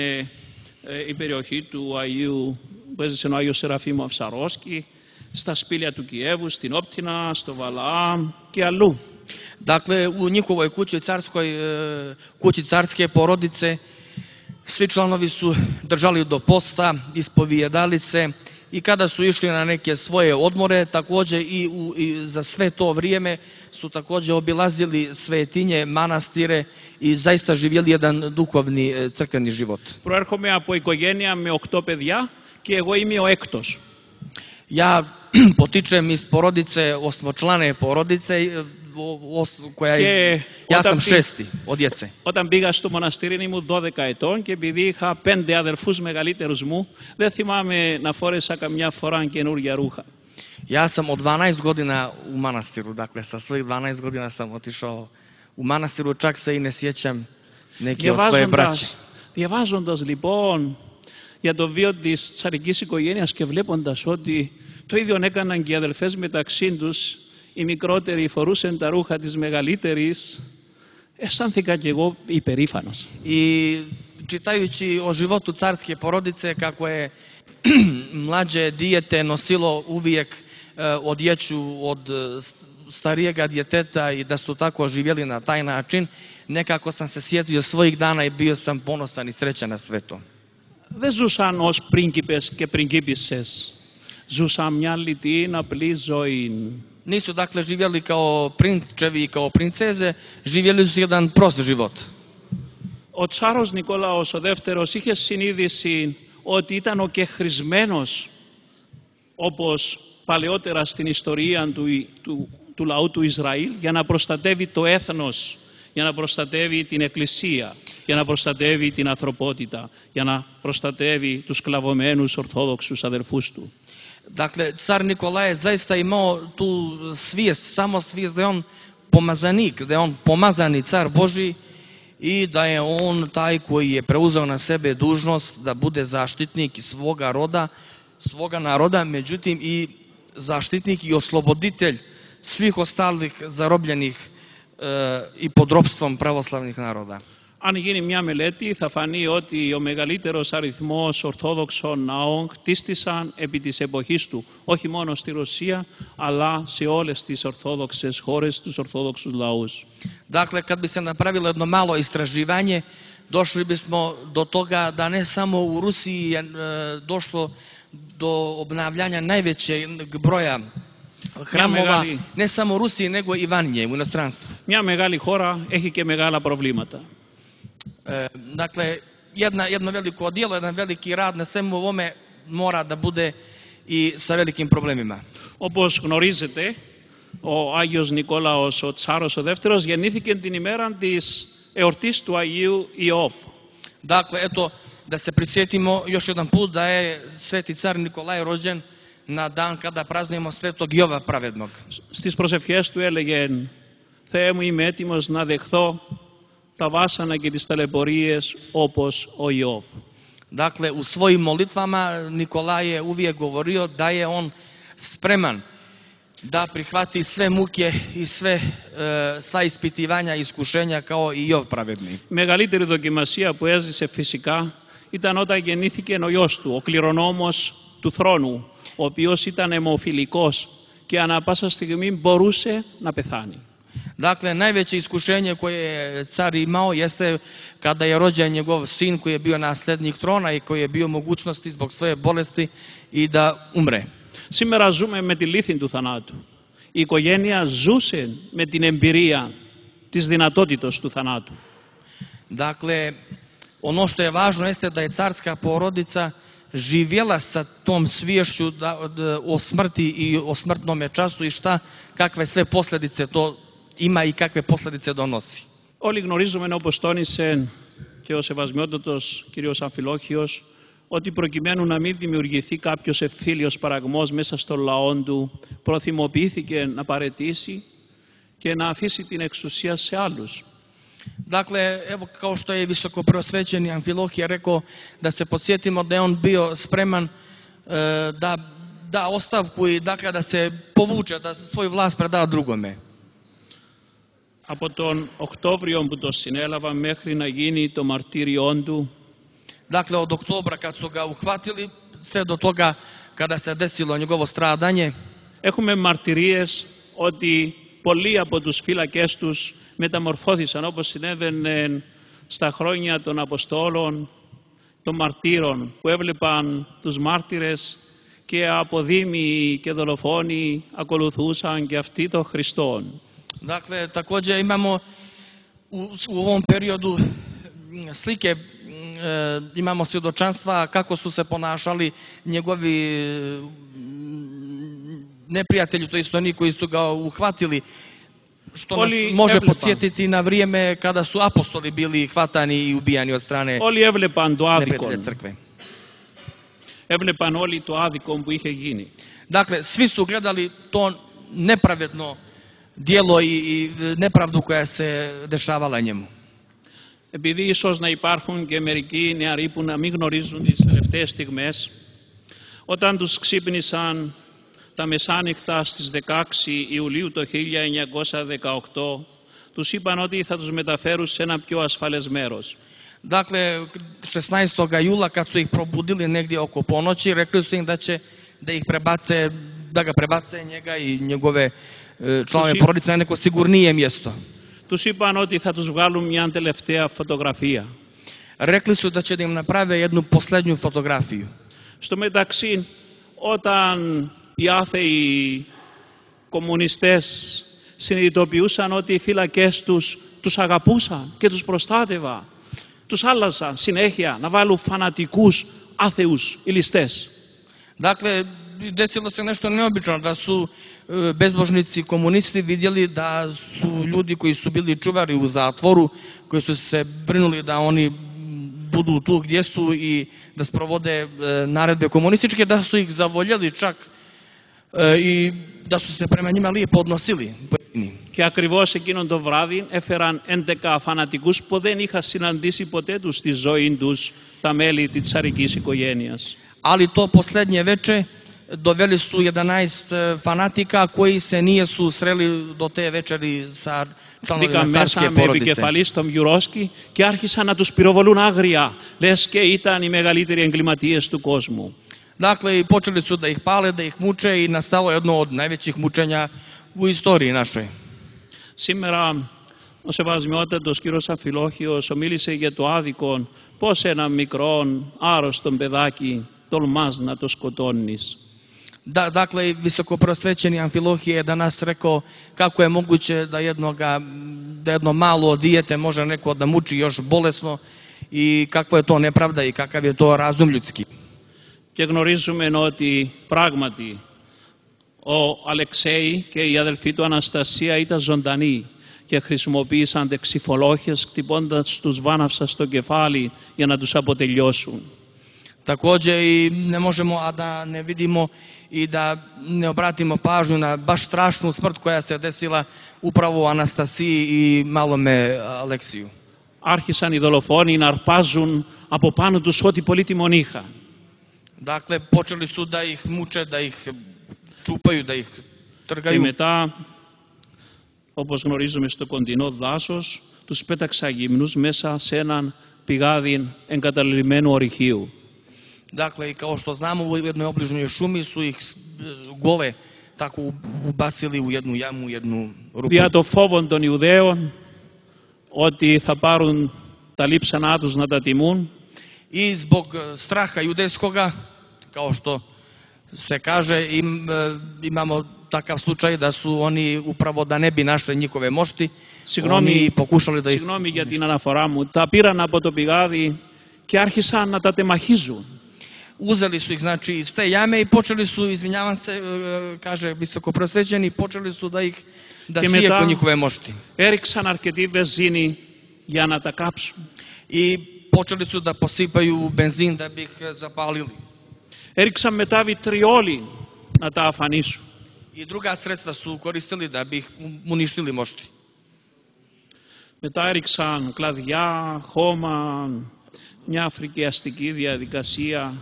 η περιοχή του Αγίου, που έζησε ο Άγιος Σεραφείμ Αυσαρόσκη, στα σπήλια του Κιέβου, στην Όπτινα, στο Βαλαάμ και αλλού.
Dakle, u njihovoj kući carske porodice, svi članovi su držali do posta, ispovijedali se i kada su išli na neke svoje odmore, također i za sve to vrijeme su također obilazili svetinje, manastire i zaista živjeli jedan duhovni crkveni život.
Προέρχομαι από οικογένεια με 8 παιδιά και εγώ είμαι ο έκτος.
Ja potičem iz porodice, osmočlane porodice, ja sam šesti od djece.
Όταν πήγα στο μοναστήρι ήμουν 12 ετών και επειδή είχα 5 αδερφούς μεγαλύτερους μου, δεν θυμάμαι να φόρεσα καμιά φορά καινούργια ρούχα.
Ja sam od 12 godina u manastiru, dakle sa svojih 12 godina sam otišao u manastiru, čak se i ne sjećam neke od svoje braće.
Διαβάζοντας λοιπόν για το βίο της τσαρικής οικογένειας και βλέποντας ότι το ίδιο έκαναν και οι αδελφές μεταξύ τους, οι μικρότεροι φορούσαν τα ρούχα της μεγαλύτερης, αισθάνθηκα και εγώ υπερήφανος.
I čitajući o životu carske porodice, kako je mlađe dijete nosilo uvijek odjeću od starijega djeteta i da su tako živjeli na taj način, nekako sam se sjetio svojih dana i bio sam ponosan i srećan na sve to.
Δεν ζούσαν ως πρίγκιπες και πριγκίπισσες. Ζούσαν μια λιτή, απλή ζωή.
Nisu dakle živjeli kao prinčevi i kao princeze, živjeli su jedan prost život.
Ο Τσάρος Νικόλαος ο δεύτερος είχε συνείδηση ότι ήταν ο κεχρισμένος, όπως παλαιότερα στην ιστορία του λαού του Ισραήλ, για να προστατεύει το έθνος, για να προστατεύει την Εκκλησία, για να προστατεύει την ανθρωπότητα, για να προστατεύει τους σκλαβωμένους Ορθόδοξους αδερφούς του.
Dakle, car Nikolaj je zaista imao tu svijest, samo svijest da je on pomazanik, da je on pomazani car Božji i da je on taj koji je preuzeo na sebe dužnost da bude zaštitnik svoga roda, svoga naroda, međutim i zaštitnik i osloboditelj svih ostalih zarobljenih i pod ropstvom pravoslavnih naroda.
Αν γίνει μια μελέτη θα φανεί ότι ο μεγαλύτερος αριθμός Ορθόδοξων ναών χτίστησαν επί της εποχής του, όχι μόνο στη Ρωσία, αλλά σε όλες τις Ορθόδοξες χώρες, τους Ορθόδοξους λαούς.
Dakle, kad bi se napravilo jedno malo istraživanje, došli bismo do toga da ne samo u Rusiji je došlo do obnavljanja najvećeg broja hramova, ne samo u Rusiji, nego i vanje, u inostranstvu.
Μια μεγάλη χώρα έχει και μεγάλα προβλήματα.
Dakle, jedno veliko djelo, jedan veliki rad na svemu ovome mora da bude i sa velikim problemima.
Όπως γνωρίζετε, ο Άγιος Νικόλαος, ο Τσάρος ο δεύτερος, γεννήθηκε την ημέρα της εορτής του Αγίου Ιώβ.
Dakle, eto, da se prisjetimo još jedan put da je sveti car Nikolaj rođen na dan kada praznujemo svetog Jova pravednog.
Στις προσευχές του έλεγε, Θεέ μου είμαι έτοιμος να δεχθώ τα βάσανα και τις ταλαιπωρίες όπως ο Ιώβ.
Dakle, u svojim molitvama Nikolaj je uvijek govorio da je on spreman da prihvati sve muke i sva ispitivanja i iskušenja kao i Jov pravedni.
Μεγαλύτερη δοκιμασία που έζησε φυσικά ήταν όταν γεννήθηκε ο γιος του, ο κληρονόμος του θρόνου, ο οποίος ήταν αιμοφιλικός και ανά πάσα στιγμή μπορούσε να πεθάνει.
Dakle, najveće iskušenje koje je car imao jeste kada je rođen njegov sin koji je bio nasljednik trona i koji je bio mogućnosti zbog svoje bolesti i da umre.
Σήμερα ζούμε με τη λύθη του θανάτου. Η οικογένεια ζούσε με την εμπειρία της δυνατότητας του θανάτου.
Dakle, ono što je važno jeste da je carska porodica živjela sa tom sviješću o smrti i o smrtnome času i kakve sve posljedice to ima i kakve posljedice donosi.
Όλοι γνωρίζουμε, όπως τόνισε και ο σεβασμιότατος κύριος Αμφιλόχιος ότι προκειμένου να μην δημιουργηθεί κάποιος ευθύλιος παραγμός μέσα στον λαό του, προθυμοποιήθηκε να παραιτήσει και να αφήσει την εξουσία σε άλλους.
Dakle, evo kao što je visoko preosvećeni Amfilohije rekao, da se podsjetimo da je on bio spreman da da ostavku i dakle da se povuče, da svoju vlast preda drugome.
Από τον Οκτώβριο που το συνέλαβα μέχρι να γίνει το μαρτύριόν του,
Dakle, od oktobra kad su ga uhvatili, sve do toga kada se desilo njegovo stradanje,
έχουμε μαρτυρίες ότι πολλοί από τους φύλακές τους μεταμορφώθησαν, όπως συνέβαινε στα χρόνια των Αποστόλων, των μαρτύρων, που έβλεπαν τους μάρτυρες και αποδήμοι και δολοφόνοι ακολουθούσαν και αυτοί τον Χριστόν.
Dakle, također imamo u ovom periodu slike, imamo svjedočanstva kako su se ponašali njegovi neprijatelji, to isto oni koji su ga uhvatili, što nas može podsjetiti na vrijeme kada su apostoli bili hvatani i ubijani od strane neprijatelja crkve.
Έβλεπαν όλοι το άδικο που είχε γίνει.
Dakle, svi su gledali to nepravedno djelo i nepravdu koja se dešavala njemu.
Επειδή ίσως να υπάρχουν και μερικοί νεαροί που να μην γνωρίζουν τις τελευταίες στιγμές, όταν τους ξύπνησαν τα μεσάνυχτα στις 16 Ιουλίου το 1918, τους είπαν ότι θα τους μεταφέρουν σε ένα πιο ασφαλές μέρος.
Dakle, 16. jula kad su ih probudili negdje oko ponoći, rekli su im da će da ga prebace njega i njegove članove porodice na neko sigurnije mjesto.
Τους είπαν ότι θα τους βγάλουν μια τελευταία φωτογραφία.
Rekli su da će da im naprave jednu posljednju fotografiju.
Στο μεταξύ, όταν οι άθεοι κομμουνιστές συνειδητοποιούσαν ότι οι φύλακες τους αγαπούσαν και τους προστάτευαν, τους άλλαζαν συνέχεια να βάλουν φανατικούς άθεους οι ληστές.
Dakle, desilo se nešto neobično, da su bezbožnici komunisti vidjeli da su ljudi koji su bili čuvari u zatvoru, koji su se brinuli da oni budu tu gdje su i da sprovode naredbe komunističke, da su ih zavoljeli čak i da su se prema njima lijepo odnosili.
Και ακριβώς εκείνον το βράδυ έφεραν 11 φανατικούς που δεν είχαν συναντήσει ποτέ τους στη ζωή τους τα μέλη της τσαρικής οικογένειας.
Ali to posljednje veče doveli su 11 fanatika koji se nisu sreli do te večeri sa članovima carske
με
porodice.
επικεφαλής τον Γιουρόσκι και άρχισαν να τους πυροβολούν άγρια, λες και ήταν οι μεγαλύτεροι εγκληματίες του κόσμου.
Dakle, počeli su da ih pale, da ih muče i nastalo jedno od najvećih mučenja u istoriji našoj.
Σήμερα ο σεβασμιότατος κύριος Αμφιλόχιος μίλησε για το άδικο πώς ένα μικρό άρρωστο παιδάκι τολμάς να το σκοτώνεις.
Dakle, visokoprosvećeni Amfilohije je danas rekao kako je moguće da jedno malo dijete može neko da muči još bolesno i kakva je to nepravda i kakav je to razum ljudski.
Και γνωρίζουμε ότι πράγματι ο Αλεξέη και η αδελφή του Αναστασία ήταν ζωντανοί και χρησιμοποίησαν δεξιφολόχες χτυπώντας τους βάναυσα στο κεφάλι για να τους αποτελειώσουν.
Također i ne možemo a da ne vidimo i da ne obratimo pažnju na baš strašnu smrt koja se desila upravo u Anastasiji i malome Aleksiju.
Άρχισαν οι δολοφόνοι να αρπάζουν από πάνω τους ό,τι πολύτιμον είχαν.
Dakle, počeli su da ih muče, da ih čupaju, da ih
Και
trgaju.
μετά, όπως γνωρίζουμε στο κοντινό δάσος, τους πέταξαν γυμνούς μέσα σε έναν πηγάδι εγκαταλειμμένου ορυχείου.
Dakle, i kao što znamo, u jednoj obližnjoj šumi su ih gole tako ubacili u jednu jamu, u jednu rupu.
Δια το φόβο των Ιουδαίων ότι θα πάρουν τα λείψανά τους να τα τιμούν,
I zbog straha judejskoga, kao što se kaže, imamo takav slučaj da su oni upravo da ne bi našli njihove mošti, oni pokušali da ih...
Συγγνώμη για την αναφορά μου, τα πήραν από το πηγάδι και άρχισαν να τα τεμαχίζουν.
Uzeli su ih, znači, iz te jame i počeli su, izvinjavam se, kaže visokoprosvećeni, počeli su da sijeku njihove mošti.
Έριξαν αρκετή βενζίνη για να τα κάψουν.
I počeli su da posipaju benzin da bi ih zapalili.
Έριξαν μετά βιτριόλι να τα αφανίσουν.
I druga sredstva su koristili da bi ih uništili mošti.
Μετά έριξαν κλαδιά, χώμα, μια φρικιαστική διαδικασία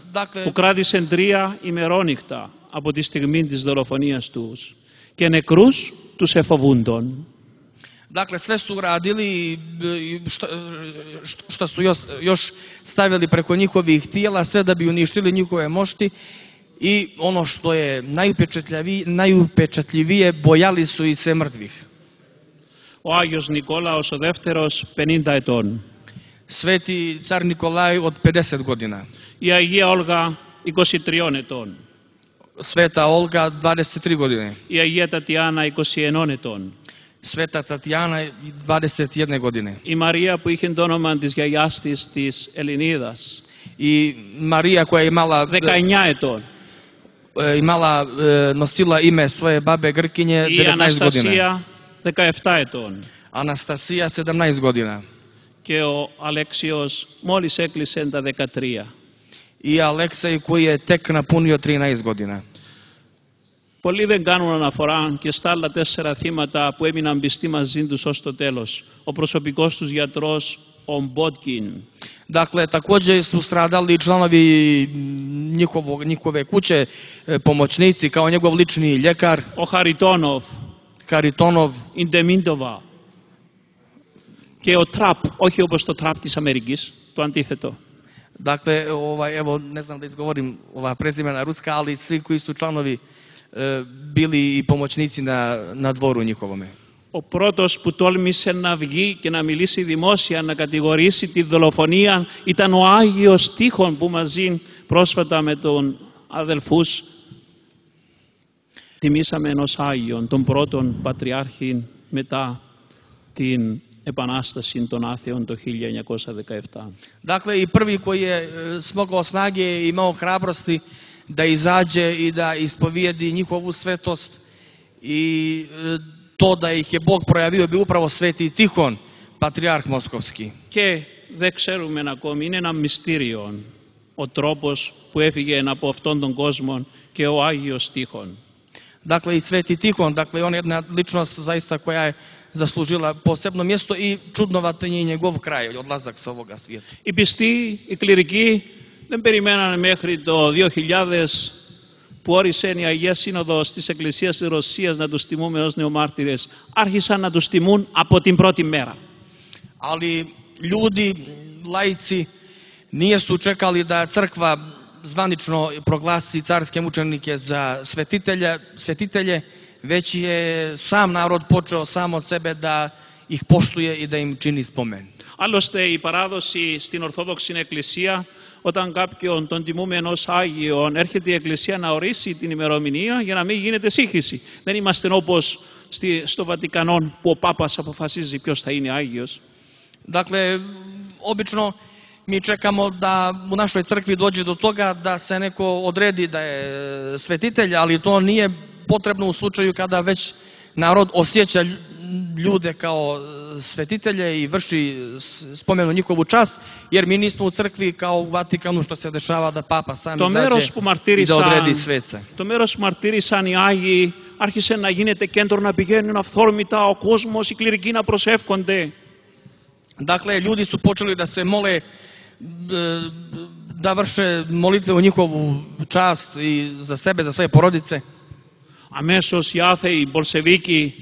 που κράτησε 3 ημερόνυχτα από τη στιγμή της δολοφονίας τους και νεκρούς τους εφοβούντων.
Dakle, sve su radili, što su još stavili preko njihovih tijela, sve da bi uništili njihove mošti i ono što je najupečatljivije, bojali su i se mrtvih.
Ο Άγιος Νικόλαος ο δεύτερος 50 ετών.
Sveti car Nikolaj od 50 godina.
Η Αγία Όλγα 23 ετών.
Sveta Olga 23 godine.
Η Αγία Τατιάνα 21 ετών.
Sveta Tatjana 21 godine.
Η Μαρία που είχε το όνομα της γιαγιάς της, της Ελληνίδας.
I Marija koja je
19 ετών.
Nosila ime svoje babe Grkinje
Η
19 godina.
Αναστασία 17 ετών.
Anastasija 17 godina.
Και ο Αλέξιος μόλις έκλεισε τα 13.
I Aleksej koji je tek napunio 13 godina.
Πολλοί δεν κάνουν αναφορά και στα άλλα 4 θύματα που έμειναν πιστοί μαζί τους ως το τέλος. Ο προσωπικός τους γιατρός, ο Μπότκιν.
Dakle, također su stradali članovi njihove kuće, pomoćnici, kao njegov lični ljekar.
Ο
Haritonov.
Η Ντεμίντοβα. Και ο Τραπ, όχι όπως το Τραπ της Αμερικής, το αντίθετο.
Dakle, evo, ne znam da izgovorim ova prezimena ruska, ali svi koji su članovi bili i pomoćnici na dvoru njihovome.
Ο πρώτος που τόλμησε να βγει και να μιλήσει δημόσια, να κατηγορήσει τη δολοφονία, ήταν ο Άγιος Τύχων που μαζί πρόσφατα με τον αδελφούς τιμήσαμε ενός Άγιον, τον πρώτον Πατριάρχη μετά την Επανάσταση των Άθεων το 1917.
Dakle, i prvi koji je smogao snage i imao hrabrosti da izađe i da ispovijedi njihovu svetost i to da ih je Bog projavio bi upravo Sveti Tihon, Patrijarh Moskovski.
Και δεν ξέρουμε ακόμη, είναι ένα μυστήριο ο τρόπος που έφυγε από αυτόν τον κόσμο και ο Άγιος Τύχων.
Dakle, i Sveti Tihon, dakle, on je jedna ličnost zaista koja je zaslužila posebno mjesto i čudnovatan je njegov kraj, odlazak sa ovoga svijeta.
Οι πιστοί, οι κληρικοί δεν περιμένανε μέχρι το 2000 που όρισε η Αγία Σύνοδος της Εκκλησίας της Ρωσίας να τους τιμούμε ως νεομάρτυρες. Άρχισαν να τους τιμούν από την πρώτη μέρα.
Ali ljudi, laici, nisu čekali da crkva zvanično proglasi carske mučenike za svetitelje, već je sam narod počeo sam od sebe da ih poštuje i da im čini spomen.
Άλλωστε η παράδοση στην Ορθόδοξη Εκκλησία, όταν κάποιον τον τιμούμε ενός Άγιον, έρχεται η Εκκλησία να ορίσει την ημερομηνία για να μην γίνεται σύγχυση. Δεν είμαστε όπως στο Βατικανό που ο Πάπας αποφασίζει ποιος θα είναι Άγιος.
Dakle, obično mi čekamo da u našoj crkvi dođe do toga da se neko odredi da je svetitelj, ali to nije potrebno u slučaju kada već narod osjeća ljude kao svetitelje i vrši spomenu njihovu čast, jer mi nismo u crkvi kao u Vatikanu što se dešava da Papa sam izađe i da odredi sveca.
Το μέρος που μαρτύρησαν οι Άγιοι άρχισε να γίνεται κέντρο, να πηγαίνουν αυθόρμητα ο κόσμος, οι κληρικοί να προσεύχονται.
Dakle, ljudi su počeli da se mole, da vrše molitve u njihovu čast i za sebe, za svoje porodice.
Αμέσως οι άθεοι, οι Μπολσεβίκοι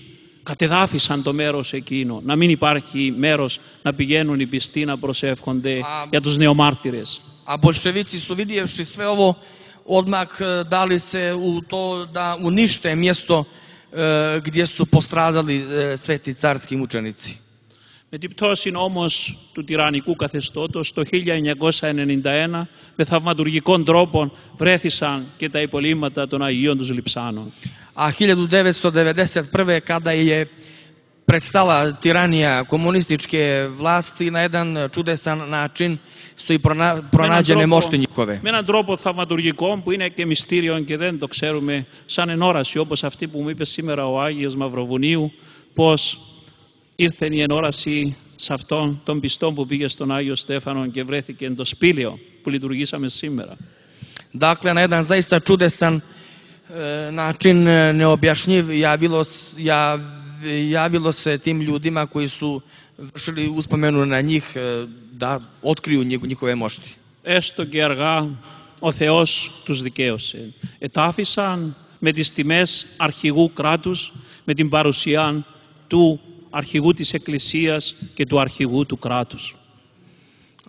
κατεδάφισαν το μέρος εκείνο. Να μην υπάρχει μέρος να πηγαίνουν οι πιστοί να προσεύχονται για τους νεομάρτυρες.
A bolševici su vidjevši sve ovo odmah dali se u to da unište mjesto gdje su postradali sveti carski mučenici.
Με την πτώση όμως του τυραννικού καθεστώτος το 1991 με θαυματουργικών τρόπων βρέθησαν και τα υπολείμματα των Αγίων τους Λειψάνων.
A 1991. kada je prestala tiranija komunističke vlasti, na jedan čudesan način su i pronađene mošti njihove.
Με έναν τρόπο θαυματουργικό που είναι και μυστήριο και δεν το ξέρουμε, σαν ενόραση όπως αυτή που μου είπε σήμερα ο Άγιος Μαυροβουνίου, πως ήρθε η ενόραση σε αυτόν τον πιστό που πήγε στον Άγιο Στέφανο και βρέθηκε το σπήλαιο που λειτουργήσαμε σήμερα.
Dakle, na jedan zaista čudesan način, neobjašnjiv, javilo se tim ljudima koji su vršili uspomenu na njih da otkriju njihove mošti.
Έστω και αργά ο Θεός τους δικαίωσε. Ετάφησαν με τις τιμές αρχηγού κράτους, με την παρουσία του αρχηγού της Εκκλησίας και του αρχηγού του κράτους.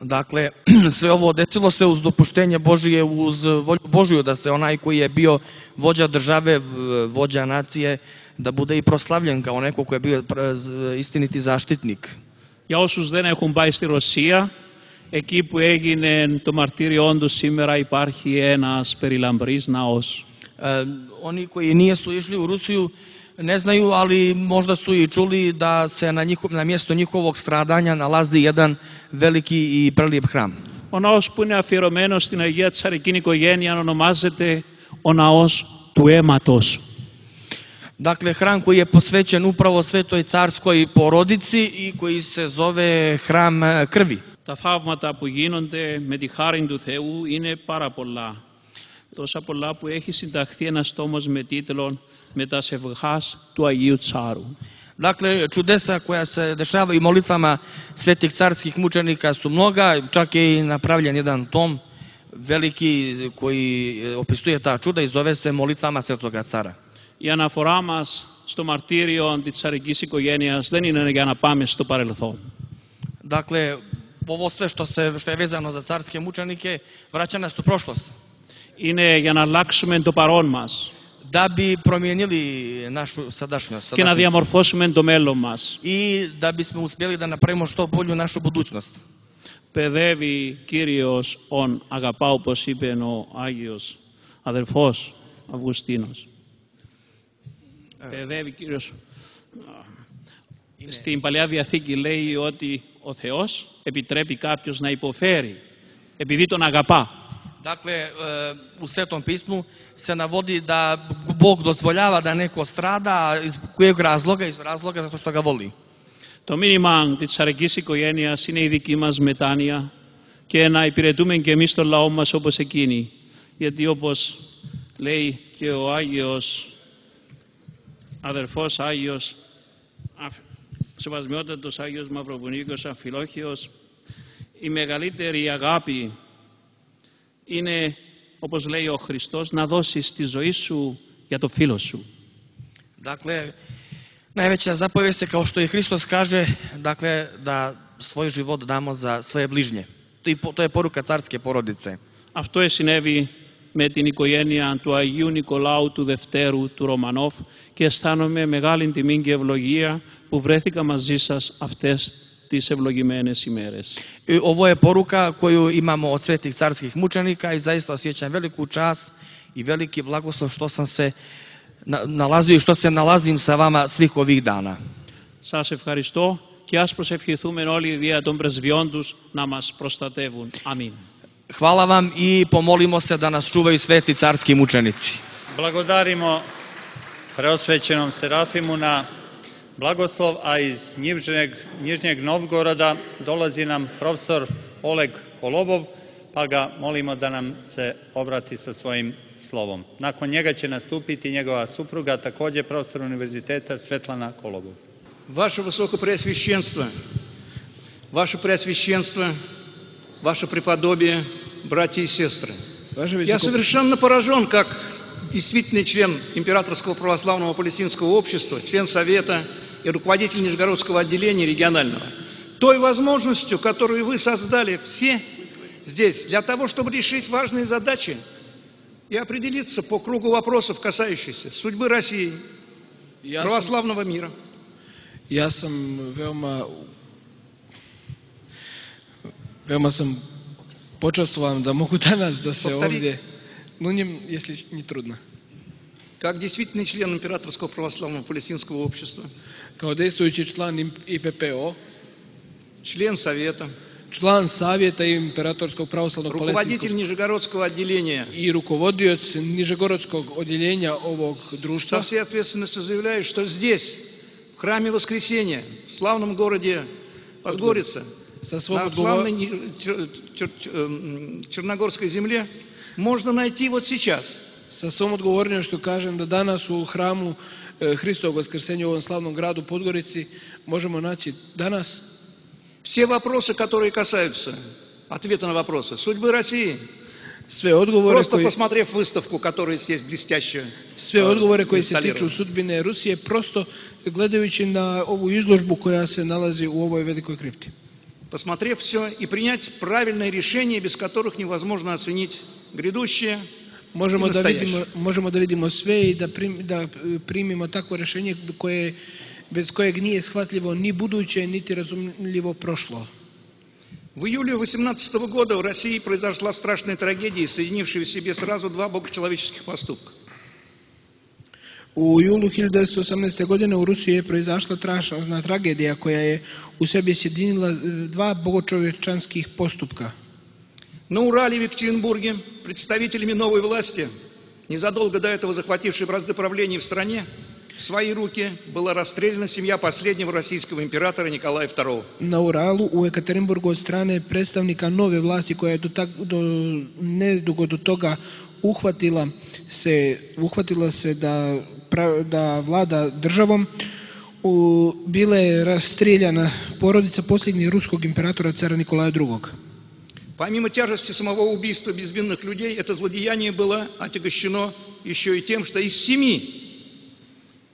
Dakle, sve ovo desilo se uz dopuštenje Božije, uz volju Božiju da se onaj koji je bio vođa države, vođa nacije, da bude i proslavljen kao neko koji je bio istiniti zaštitnik.
Για όσους δεν έχουν πάει στη Ρωσία, εκεί που έγινε το μαρτύριόν του σήμερα υπάρχει ένας περιλαμπρής ναός.
Oni koji nisu išli u Rusiju ne znaju, ali možda su i čuli da se na mjesto njihovog stradanja nalazi jedan veliki i prelijep hram.
Ο ναός που είναι αφιερωμένος στην Αγία Τσαρικίνη οικογένεια ονομάζεται ο ναός του αίματος.
Dakle, hram koji je posvećen upravo svetoj carskoj porodici i koji se zove hram krvi.
Τα θαύματα που γίνονται με τη χάρη του Θεού είναι πάρα πολλά. Τόσα πολλά που έχει συνταχθεί ένας τόμος με τίτλο «Μετασευχάς του Αγίου Τσάρου».
Dakle, čudesa koja se dešavaju molitvama svetih carskih mučenika su mnoga, čak je i napravljen jedan tom veliki koji opisuje ta čuda i zove se Molitvama Svetoga Cara.
Η αναφορά μας στο μαρτύριο της τσαρικής οικογένειας δεν είναι για να πάμε στο παρελθόν.
Dakle, ovo sve što je vezano za carske mučenike vraća nas u prošlost.
Είναι για να αλλάξουμε το παρόν μας.
Da bi promijenili našu sadašnjost.
Και να διαμορφώσουμε το μέλλον μας.
I da bismo uspjeli da napravimo što bolju našu budućnost.
Παιδεύει Κύριος ον αγαπά, όπως είπε ο Άγιος αδερφός Αυγουστίνος. Παιδεύει Κύριος. Στην Παλαιά Διαθήκη λέει ότι ο Θεός επιτρέπει κάποιος να υποφέρει επειδή τον αγαπά.
Dakle, u Svetom pismu se navodi da Bog dozvoljava da neko strada, iz kojeg razloga? Iz razloga zato što ga voli.
Το μήνυμα της τσαρικής οικογένειας είναι η δική μας μετάνοια και να υπηρετούμε και εμείς τον λαό μας όπως εκείνοι. Γιατί όπως λέει και ο Άγιος αδερφός Άγιος Σεβασμιότατος Άγιος Μαυροβουνίκος Αμφιλόχιος, η μεγαλύτερη αγάπη είναι, όπως λέει ο Χριστός, να δώσεις τη ζωή σου για το φίλο σου.
Dakle, najveća zapovijest je, kao što i Hristos kaže, dakle, da svoj život damo za svoje bližnje. To je poruka carske porodice.
Αυτό συνέβη με την οικογένεια του Αγίου Νικολάου του Δευτέρου του Ρωμανόφ και αισθάνομαι μεγάλη τιμή και ευλογία που βρέθηκα μαζί σας αυτές τις ευλογημένες ημέρες.
Ovo je poruka koju imamo od svetih carskih mučenika i zaista osjećam veliku čast i veliki blagoslov što sam se nalazio i što se nalazim sa vama svih ovih dana.
Σας ευχαριστώ και ας προσευχηθούμε όλοι δια των πρεσβειών τους να μας προστατεύουν. Αμήν.
Hvala vam i pomolimo se da nas čuvaju sveti carski mučenici.
Blagodarimo preosvećenom Serafimu na blagoslov, a iz Njižnjeg Novgoroda dolazi nam profesor Oleg Kolobov, pa ga molimo da nam se obrati sa svojim slovom. Nakon njega će nastupiti njegova supruga, također profesor univerziteta Svetlana Kolobov.
Ваше Высокопреосвященство, Ваше Преосвященство, Ваше Преподобие, братья и сестры, я совершенно поражен, как действительный член Императорского православного палестинского общества, член Совета и руководитель Нижегородского отделения регионального, той возможностью, которую вы создали все здесь, для того, чтобы решить важные задачи и определиться по кругу вопросов, касающихся судьбы России, православного мира.
Ja sam veoma sam počastvovan da mogu danas da se ovdje, если не трудно.
Как действительный член Императорского православного палестинского общества,
kao действующий член ИППО,
член Совета,
член Совета Императорского православного
руководитель Нижегородского отделения
и руководитель Нижегородского отделения овog društva,
со всей ответственностью заявляю, что здесь, в храме Воскресения, в славном городе Подгорица на славной Черногорской земле можно найти вот сейчас.
Sa svom odgovornošću kažem da danas u hramu Hristovog Vaskrsenja u ovom slavnom gradu Podgorici možemo naći danas
все вопросы, которые касаются ответа на вопросы судьбы России.
Sve odgovore
Просто посмотрев выставку, которая здесь блестяще.
Sve odgovore koji se tiču sudbine Rusije, prosto gledajući na ovu izložbu koja se nalazi u ovoj velikoj kripti.
Посмотрев все и принять правильное решение, без которых невозможно оценить грядущее.
Možemo da vidimo sve i da primimo takvo rješenje bez kojeg nije shvatljivo ni buduće, niti razumljivo prošlo.
В июле 18 года в России произошла страшная трагедия, соединившая в себе сразу два богочеловеческих поступка.
U julu 1918. godine u Rusiji je proizašla strašna tragedija koja je u sebi sjedinila dva bogočovječanskih postupka.
На Урале в Екатеринбурге представителями новой власти, незадолго до этого захватившей бразды правления в стране, в свои руки была расстреляна семья последнего российского императора Николая II.
Na Uralu u Ekaterinburgu od strane predstavnika nove vlasti koja je nedugo do toga uhvatila se da vlada državom, bila je rastreljana porodica posljednjeg ruskog imperatora cara Nikolaja II.
Помимо тяжести самого убийства безвинных людей, это злодеяние было отягощено еще и тем, что из 7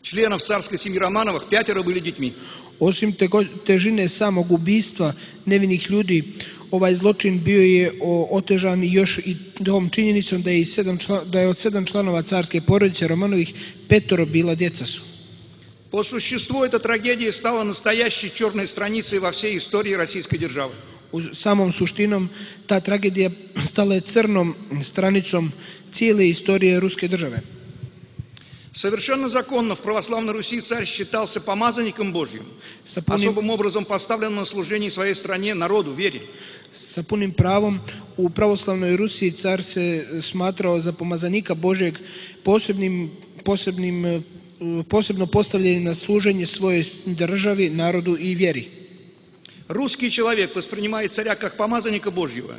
членов царской семьи Романовых 5 были детьми.
Osim težine samog ubistva nevinih ljudi, ovaj zločin bio je otežan još i tom činjenicom da je od 7 članova carske porodice Romanovih 5 bila djeca su.
По существу эта трагедия стала настоящей черной страницей во всей истории российской державы.
U samom suštinom ta tragedija stala je crnom stranicom cijele istorije ruske države.
Совершенно законно в православной Руси царь считался помазанником Божьим, особым образом поставленным на служение своей стране, народу, вере.
Sa punim pravom u pravoslavnoj Rusiji car se smatrao za pomazanika Božjeg, posebno postavljen na služenje svojoj državi, narodu i vjeri.
Русский человек, воспринимая царя как помазанника Божьего,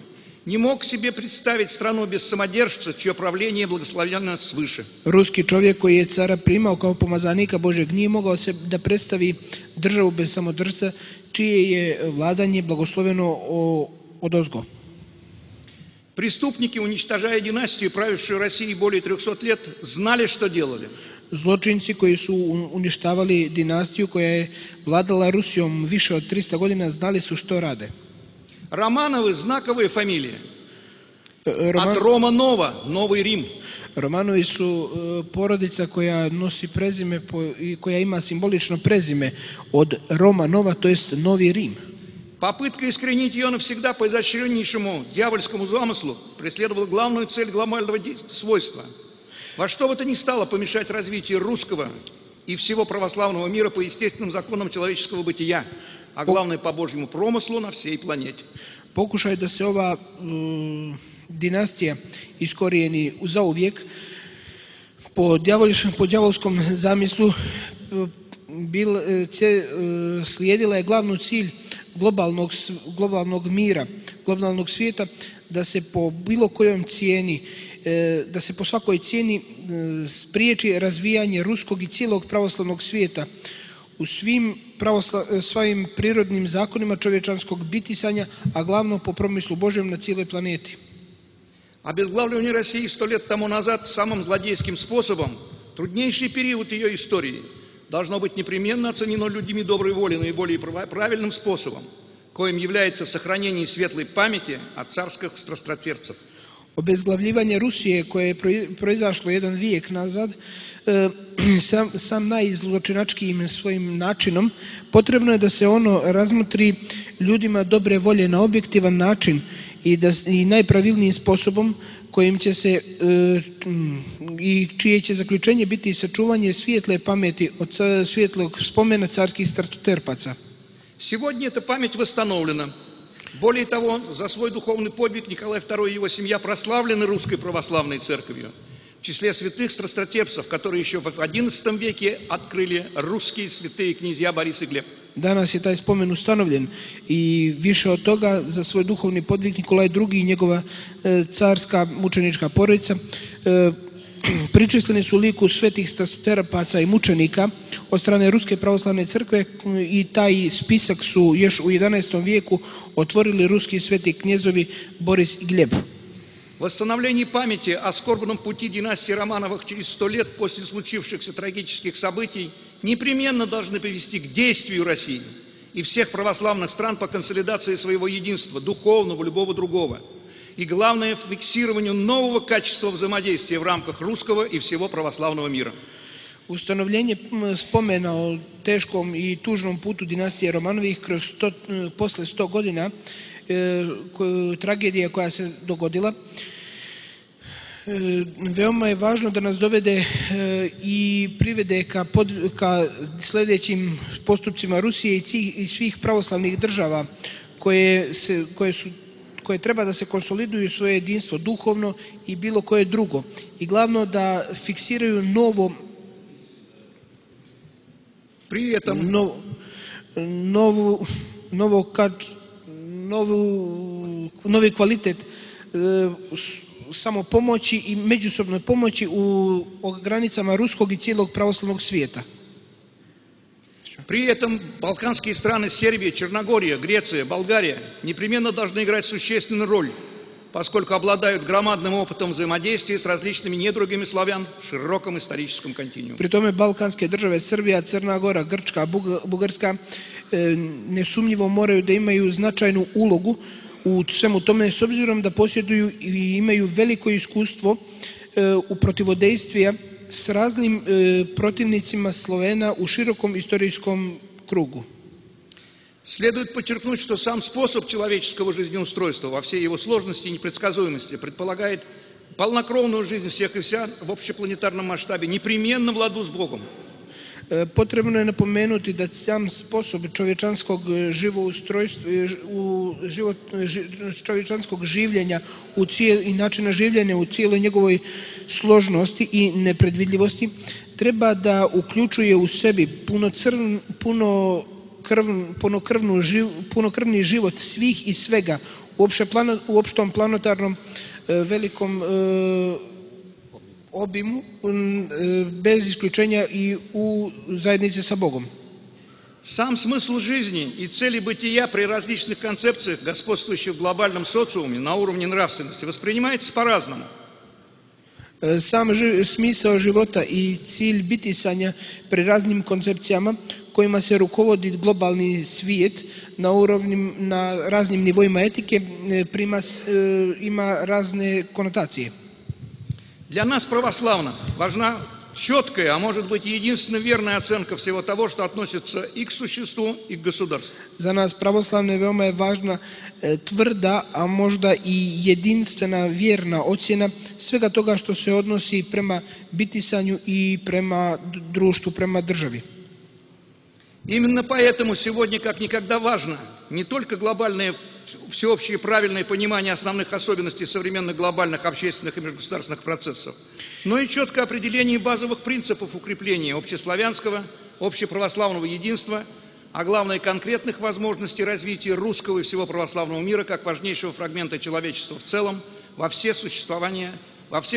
не мог себе представить страну без самодержца, чье правление благословенно свыше.
Ruski čovjek koji je cara primao kao pomazanika Božjeg nije mogao se da predstavi državu bez samodržca, čije je vladanje blagosloveno odozgo.
Преступники, уничтожая династию, правившую Россией более 300 лет, знали, что делали.
Zločinci koji su uništavali dinastiju koja je vladala Rusijom više od 300 godina znali su što rade.
Романовы – знаковая фамилия. От Романова – Новый Рим.
Romanovi su porodica koja nosi prezime i koja ima simbolično prezime od Romanova, to jest Novi Rim.
Попытка искоренить ее навсегда по изощреннейшему дьявольскому замыслу преследовала главную цель глобального свойства. Во что бы то ни стало помешать развитию русского и всего православного мира по естественным законам человеческого бытия, а главное по Божьему промыслу на всей планете.
Pokušaj da se ova dinastija iskorijeni zauvijek po djavolskom zamislu slijedila je glavnu cilj globalnog mira, globalnog svijeta, da se po bilo kojoj cijeni, da se po svakoj cijeni spriječi razvijanje ruskog i cijelog pravoslavnog svijeta u svim prirodnim zakonima čovječanskog bitisanja, a glavno po promislu Božjem na cijeloj planeti.
Обезглавливание России 100 лет тому назад самым злодейским способом, труднейший период ее истории, должно быть непременно оценено людьми доброй воли наиболее правильным способом, коим является сохранение светлой памяти о царских страстотерпцев.
Obezglavljivanje Rusije koje je proizašlo jedan vijek nazad, sam najzločinačkijim svojim načinom, potrebno je da se ono razmotri ljudima dobre volje na objektivan način i najpravilnijim sposobom kojim će se i čije će zaključenje biti sačuvanje svijetle pameti od svjetlog spomena carskih stratoterpaca.
Сегодня эта память восстановлена. Более того, за свой духовный подвиг Николай II и его семья прославлены Русской Православной Церковью. в числе святых страстотерпцев, которые еще в XI веке открыли русские святые князья Борис и Глеб.
Danas je taj spomen ustanovljen i više od toga za svoj duhovni podvig Nikolaj II i njegova carska mučenička porodica pričestveni su liku svetih strastoterpaca i mučenika od strane Ruske pravoslavne crkve i taj spisak su još u XI vijeku otvorili ruski sveti knjezovi Boris i Gleb.
Восстановление памяти о скорбном пути династии Романовых через 100 лет после случившихся трагических событий непременно должны привести к действию России и всех православных стран по консолидации своего единства, духовного, любого другого. И главное, фиксированию нового качества взаимодействия в рамках русского и всего православного мира.
Ustanovljenje spomena o teškom i tužnom putu dinastije Romanovih posle 100 godina tragedija koja se dogodila, veoma je važno da nas dovede i privede ka sljedećim postupcima Rusije i svih pravoslavnih država koje treba da se konsoliduju svoje jedinstvo duhovno i bilo koje drugo. I glavno da fiksiraju novi kvalitet samopomoći i međusobnoj pomoći u granicama ruskog i cijelog pravoslavnog svijeta.
При этом балканские страны Сербия, Черногория, Греция, Болгария непременно должны играть существенную роль, поскольку обладают громадным опытом взаимодействия с различными недругами славян в широком историческом континууме.
Pri tome balkanske države Srbija, Crna Gora, Grčka, Bugarska nesumnjivo moraju da imaju značajnu ulogu u svemu tome s obzirom da posjeduju i imaju veliko iskustvo u protivodejstvu s raznim protivnicima Slovena u širokom istorijskom krugu.
Следует подчеркнуть, что сам способ человеческого жизнеустройства во всей его сложности и непредсказуемости предполагает полнокровную жизнь всех и вся в общепланетарном масштабе, непременно в ладу с Богом.
Potrebno je napomenuti da sam sposob čovječanskog življenja i načina življenja u cijeloj njegovoj složnosti i nepredvidljivosti treba da uključuje u sebi punokrvni život svih i svega u opštom planetarnom velikom obimu, bez isključenja i u zajednici sa Bogom.
Сам смысл жизни и цели бытия при различных концепциях, господствующих в глобальном социуме на уровне нравственности, воспринимается по-разному.
Sam smisao života i cilj bitisanja pri raznim koncepcijama kojima se rukovodi globalni svijet na raznim nivoima etike ima razne konotacije.
Для нас, православных, важна четкая, а может быть и единственно верная оценка всего того, что относится и к существу, и к государству.
За нас, православne, veoma je važna tvrda, a možda i jedinstvena vjerna ocjena svega toga što se odnosi prema bitisanju i prema društvu, prema državi.
Именно поэтому сегодня как никогда важно не только глобальное всеобщее правильное понимание основных особенностей современных глобальных общественных и межгосударственных процессов, но и четкое определение базовых принципов укрепления общеславянского, общеправославного единства, а главное конкретных возможностей развития русского и всего православного мира как важнейшего фрагмента человечества в целом во все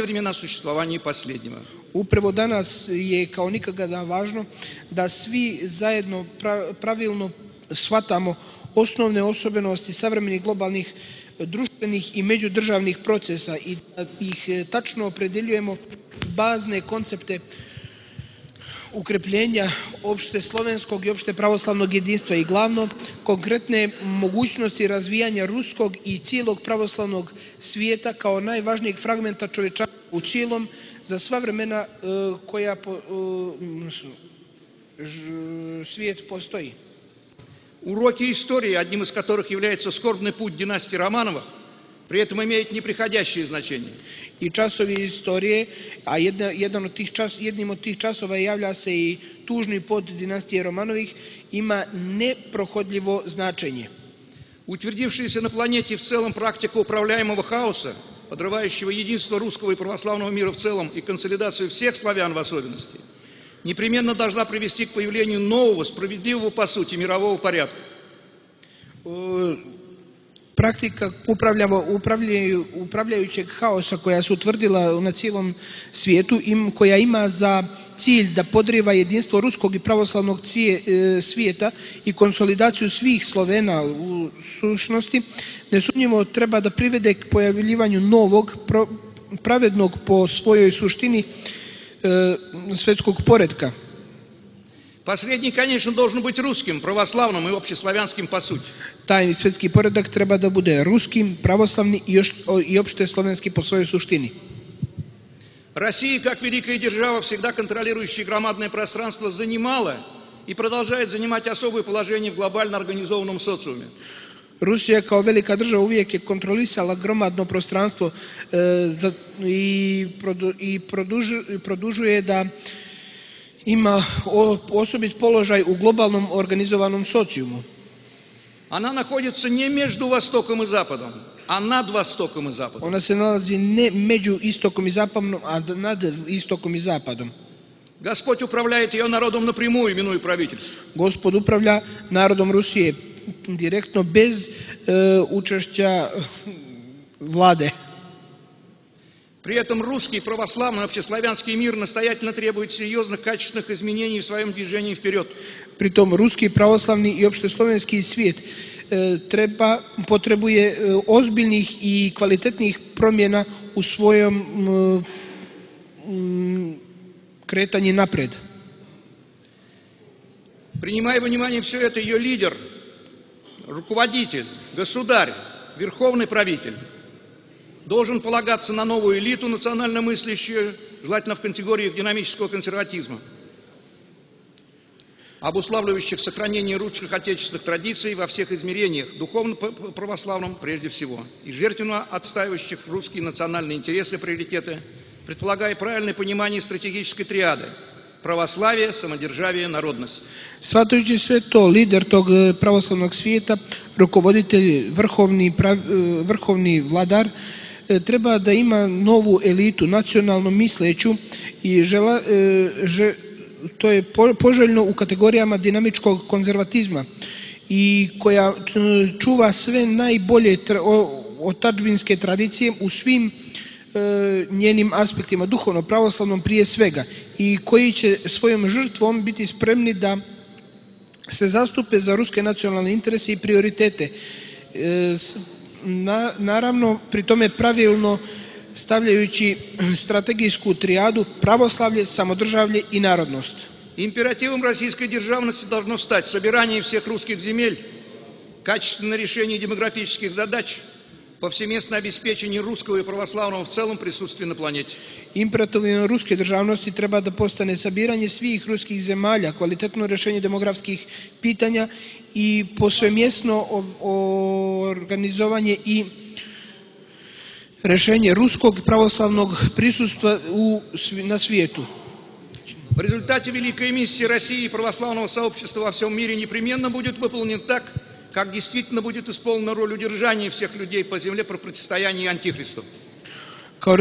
времена существования последнего.
Upravo danas je kao nikada važno da svi zajedno pravilno shvatamo osnovne osobenosti savremenih globalnih društvenih i međudržavnih procesa i da ih tačno opredeljujemo bazne koncepte ukrepljenja opšte slovenskog i opšte pravoslavnog jedinstva i glavno konkretne mogućnosti razvijanja ruskog i cijelog pravoslavnog svijeta kao najvažnijeg fragmenta čovječanstva u cijelom za sva vremena koja svijet postoji.
Уроки истории, одним из которых является скорбный путь династии Романовых, при этом имеют неприходящее значение.
I časovi istorije, a jednim od tih časova javlja se i tužni put dinastije Romanovih, ima neprohodljivo značenje.
Утвердившаяся на планете в целом практика управляемого хаоса подрывающего единство русского и православного мира в целом и консолидацию всех славян в особенности, непременно должна привести к появлению нового, справедливого по сути мирового порядка.
Praktika upravljajućeg haosa koja se utvrdila na cijelom svijetu, koja ima za cilj da podrijeva jedinstvo ruskog i pravoslavnog svijeta i konsolidaciju svih Slovena u sušnosti, nesumnjivo treba da privede k pojavljivanju novog, pravednog po svojoj suštini svetskog poretka.
Последний, конечно, должен быть русским, православным и общеславянским по сути.
Taj svetski poredak treba da bude ruskim, pravoslavni i opšte slovenski po svojoj suštini.
Россия, как великая держава, всегда контролирующая громадное пространство, занимала и продолжает занимать особое положение в глобально организованном социуме.
Rusija kao velika država uvijek je kontrolisala gromadno prostranstvo i produžuje da ima osobit položaj u globalnom organizovanom socijumu.
Она находится не между Востоком и Западом, а над Востоком и Западом.
Ona se nalazi ne među istokom i zapadom, a nad istokom i zapadom.
Господь управляет ее народом напрямую, именуя правительство.
Gospod upravlja narodom Rusije direktno, bez učešća vlade.
При этом русский, православный, общеславянский мир настоятельно требует серьезных, качественных изменений в своем движении вперед.
Pritom ruski, pravoslavni i opšteslovenski svijet potrebuje ozbiljnih i kvalitetnih promjena u svojom kretanju napred.
Принимая во внимание все это, ее лидер, руководитель, государь, верховный правитель должен полагаться на новую элиту национально мыслящую, желательно в категориях динамического консерватизма, обуславливающих сохранение русских отечественных традиций во всех измерениях, духовно-православном прежде всего, и жертвенно отстаивающих русские национальные интересы и приоритеты, предполагая правильное понимание стратегической триады православие, самодержавие, народность.
Shvatajući sve to, lider tog pravoslavnog svijeta, rukovoditelj, vrhovni vladar, treba da ima novu elitu, nacionalno misleću, i to je poželjno u kategorijama dinamičkog konzervatizma i koja čuva sve najbolje otadžbinske tradicije u svim njenim aspektima, duhovno, pravoslavnom prije svega, i koji će svojom žrtvom biti spremni da se zastupe za ruske nacionalne interese i prioritete. Naravno, pri tome pravilno stavljajući strategijsku trijadu православие, самодержавие и народность.
Императивом российской державности должно стать собирание всех русских земель, качественное решение демографических задач, повсеместное обеспечение русского и православного в целом присутствия на планете.
Imperativom ruske državnosti treba da postane sabiranje svih ruskih zemalja, kvalitetno rješenje demografskih pitanja i posvemjesno organizovanje i rješenje ruskog pravoslavnog prisustva na svijetu.
В результате великая миссия России и православного сообщества во всем мире непременно будет выполнена так, как действительно будет исполнена роль удержания всех людей по земле при противостоянии антихристу.
Kao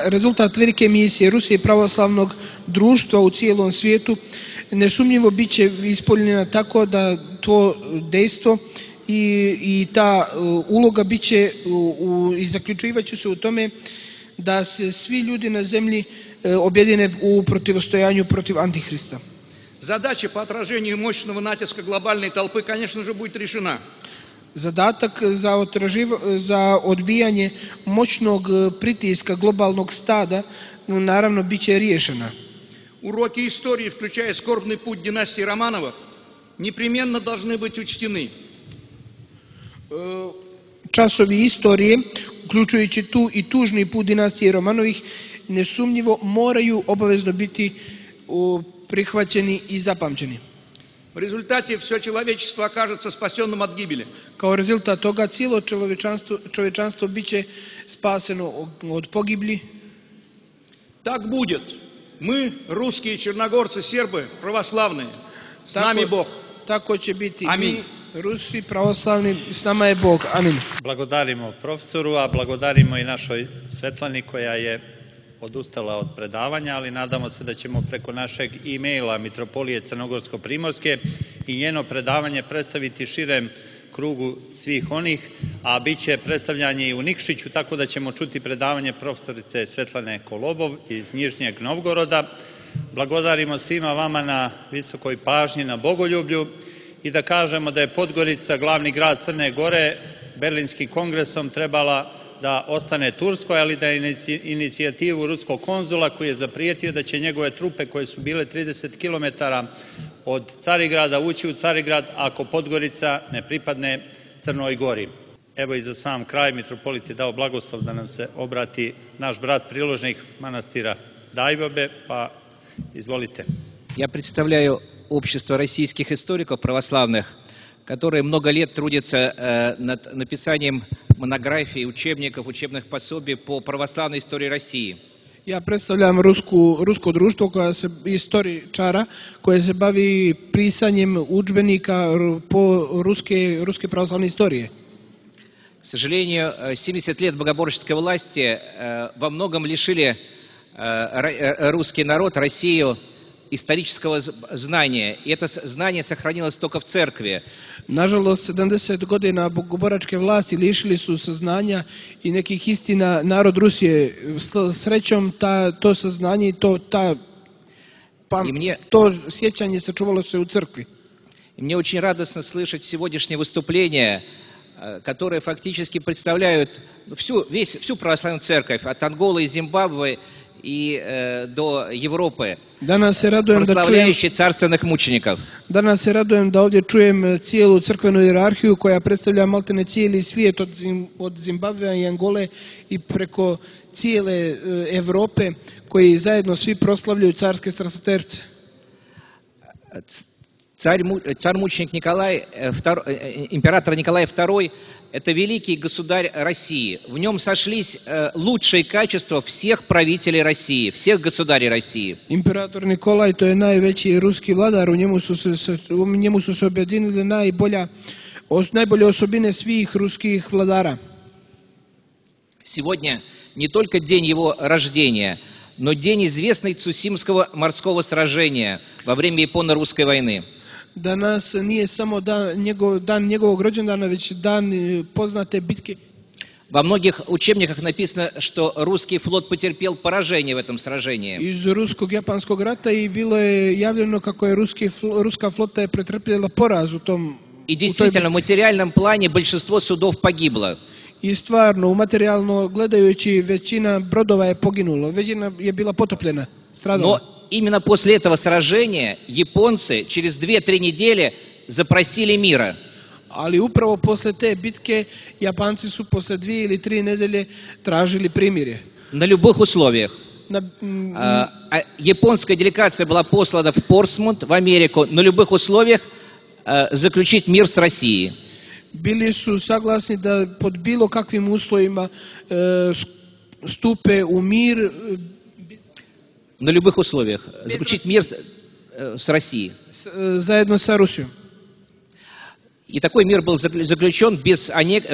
rezultat velike misije Rusije i pravoslavnog društva u cijelom svijetu nesumnjivo bit će ispunjena tako da to dejstvo i ta uloga bit će i zaključivat će se u tome da se svi ljudi na zemlji objedine u protivostojanju protiv Antihrista.
Задача по отражению мощного натиска глобальной толпы, конечно же, будет решена.
Zadatak za odbijanje moćnog pritiska globalnog stada naravno bit će riješena.
Уроки истории, включая скорбный путь династии Романовых, непременно должны быть учтены.
Časovi istorije, uključujući tu i tužni put dinastije Romanovih, nesumnjivo moraju obavezno biti prihvaćeni i zapamćeni.
В результате все человечество окажется спасенным от гибели.
Kao rezultat toga cijelo čovječanstvo biće spaseno od pogibli.
Так будет. Мы, русские, черногорцы, сербы, православные, с нами Бог.
Tako će biti.
Аминь.
Rusi pravoslavni, s nama je Bog. Amin.
Blagodarimo profesoru, a blagodarimo i našoj Svetlani koja je odustala od predavanja, ali nadamo se da ćemo preko našeg e-maila Mitropolije Crnogorsko-Primorske i njeno predavanje predstaviti širem krugu svih onih, a bit će predstavljanje i u Nikšiću, tako da ćemo čuti predavanje profesorice Svetlane Kolobov iz Nižnjeg Novgoroda. Blagodarimo svima vama na visokoj pažnji, na bogoljublju i da kažemo da je Podgorica, glavni grad Crne Gore, Berlinskim kongresom trebala da ostane Turskoj, ali da je inicijativu ruskog konzula koji je zaprijetio da će njegove trupe koje su bile 30 km od Carigrada ući u Carigrad ako Podgorica ne pripadne Crnoj Gori. Evo i za sam kraj mitropolit je dao blagoslov da nam se obrati naš brat priložnik manastira Dajbobe, pa izvolite.
Я представляю общество российских историков православных, которые много лет трудятся над написанием монографий, учебников, учебных пособий по православной истории России.
Ja predstavljam rusko društvo istoričara koje se bavi pisanjem udžbenika po ruske pravoslavne istorije.
К сожалению, 70 лет богоборческой власти во многом лишили русский народ, Россию, исторического знания. И это знание сохранилось только в церкви.
Nažalost, 70 godina bogoboračke vlasti lišili su saznanja i nekih istina narod Rusije. Srećom, to saznanje i to sjećanje sačuvalo se u crkvi.
И мне очень радостно слышать сегодняшнее выступление, которые фактически представляют всю православную церковь, от Анголы и Зимбабве и до Европы, прославляющие царственных мучеников.
Danas se radujem da ovdje čujem cijelu crkvenu hijerarhiju koja predstavlja maltene cijeli svijet od Zimbabvea i Angole i preko cijele Evrope koji zajedno svi proslavljaju carske strastoterce.
Царь-мученик Николай, император Николай II, это великий государь России. В нем сошлись лучшие качества всех правителей России, всех государей России.
Imperator Nikolaj, to je najveći ruski vladar, u njemu su se objedinile najbolje osobine svih ruskih vladara.
Сегодня не только день его рождения, но день известный Цусимского морского сражения во время Японо-русской войны.
Danas nije samo dan njegovog rođendana, već dan poznate bitke.
Во многих учебниках написано, что русский флот потерпел поражение в этом сражении.
Iz ruskog-japanskog rata i bilo je javljeno kako je ruska flota je pretrpjela poraz u tom.
И действительно, в материальном плане большинство судов погибло.
I stvarno, materijalno gledajući, većina brodova je poginulo, većina je bila potopljena, stradala.
Именно после этого сражения японцы через 2-3 недели запросили мира.
Ali upravo posle te bitke Japanci su posle 2 ili 3 nedelje tražili primirje.
На любых условиях. Японская делегация была послана в Портсмут, в Америку, на любых условиях заключить мир с Россией.
Bili su saglasni da pod bilo kakvim uslovima stupe u mir.
На любых условиях заключить мир с Россией.
Заедно с Rusijom.
И такой мир был заключен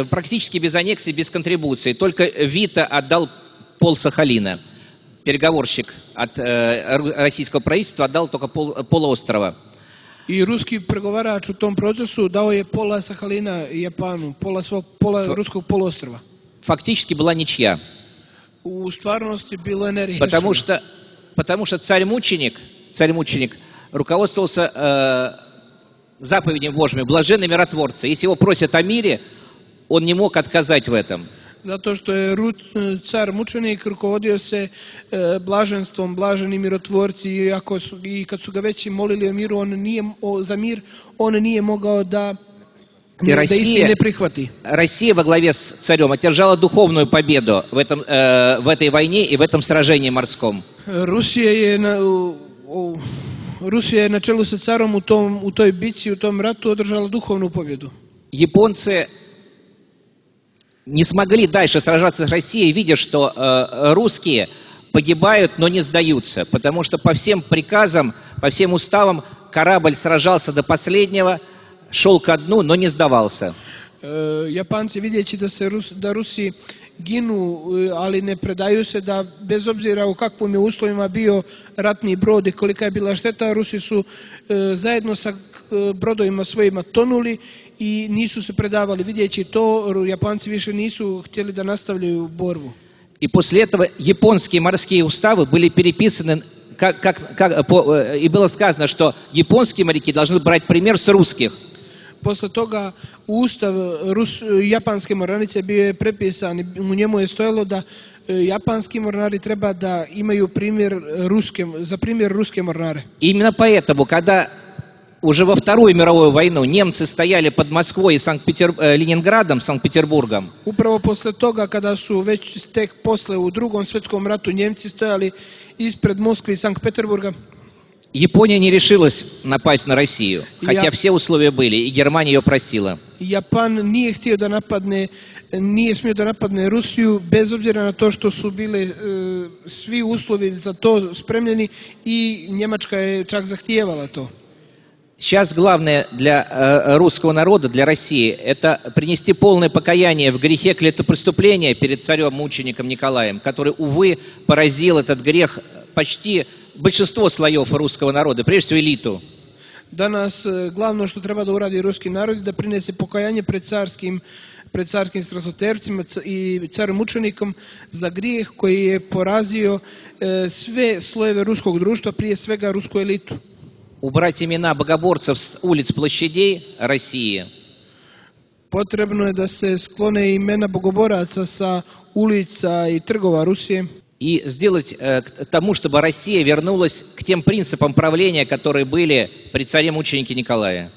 практически без аннексий, без контрибуций. Только Вита отдал пол-Сахалина. Переговорщик от российского правительства отдал только полуострова.
I ruski pregovarač u tom procesu dao je pola Sahalina Japanu, pola ruskog poluostrva.
Фактически была ничья.
U stvarnosti bilo je neriješeno.
Потому что царь-мученик руководствовался заповедями Божьими, блаженны миротворцы. Если его просят о мире, он не мог отказать в этом.
Zato što je car mučenik rukovodio se blaženstvom, blaženi mirotvorci, i kad su ga već molili o miru, on nije mogao da ih ne prihvati.
Россия во главе с царем одержала духовную победу в этой войне и в этом сражении морском.
Rusija je na čelu sa carom u toj bici, u tom ratu održala duhovnu pobjedu.
Японцы не смогли дальше сражаться с Россией, видя, что русские погибают, но не сдаются, потому что по всем приказам, по всем уставам корабль сражался до последнего, шел ко дну, но не сдавался.
Japanci vidjeći da Rusi ginu, ali ne predaju se, da bez obzira u kakvim je uslovima bio ratni brod i kolika je bila šteta, Rusi su zajedno sa brodovima svojima tonuli i nisu se predavali. Vidjeći to, Japanci više nisu htjeli da nastavljaju borbu.
И после этого японские морские уставы были переписаны, и было сказано, что японские моряки должны брать пример с русских.
Posle toga ustav japanske mornarice bio je prepisan i u njemu je stojalo da japanski mornari treba da imaju za primjer ruske mornare.
Именно поэтому, когда уже во Вторую мировую войну немцы стояли под Москвой и Ленинградом, Санкт-Петербургом.
Upravo posle toga, kada su već tek posle u Drugom svjetskom ratu Njemci stojali ispred Moskve i Sankt-Peterburga,
Япония не решилась напасть на Россию, хотя все условия были, и Германия ее просила.
Japan nije smio da napadne Rusiju, bez obzira na to što su bile svi uslovi za to spremljeni i Njemačka je čak zahtijevala to.
Сейчас главное для русского народа, для России, это принести полное покаяние в грехе клеветопреступления перед царем-мучеником Николаем, который, увы, поразил этот грех почти большинство слоев русского народа, прежде всего элиту.
Danas glavno što treba da uradi ruski narod je da prinese pokajanje pred carskim stratotercima i carem mučenikom za grijeh koji je porazio sve slojeve ruskog društva, prije svega rusku elitu.
Убрать имена богоборцев с улиц площадей России.
Potrebno je da se sklone imena bogoboraca sa ulica i trgova Rusije.
И сделать к тому, чтобы Россия вернулась к тем принципам правления, которые были при царе-мученике Николае.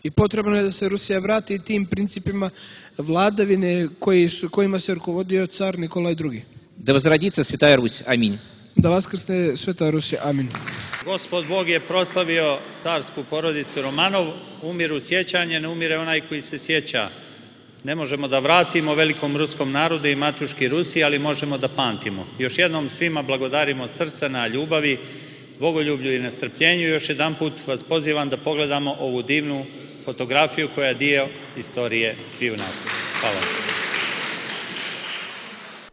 I potrebno je da se Rusija vrati tim principima vladavine kojima se rukovodio car Nikolaj II.
Да возродится Святая Русь. Аминь.
Da vaskrsne Sveta Rusija. Amin.
Gospod Bog je proslavio carsku porodicu Romanov, umiru sjećanje, ne umire onaj koji se sjeća. Ne možemo da vratimo velikom ruskom narodu i matuški Rusiji, ali možemo da pamtimo. Još jednom svima blagodarimo srca na ljubavi, bogoljublju i na strpljenju. Još jedan put vas pozivam da pogledamo ovu divnu fotografiju koja je dio istorije svih nas. Hvala.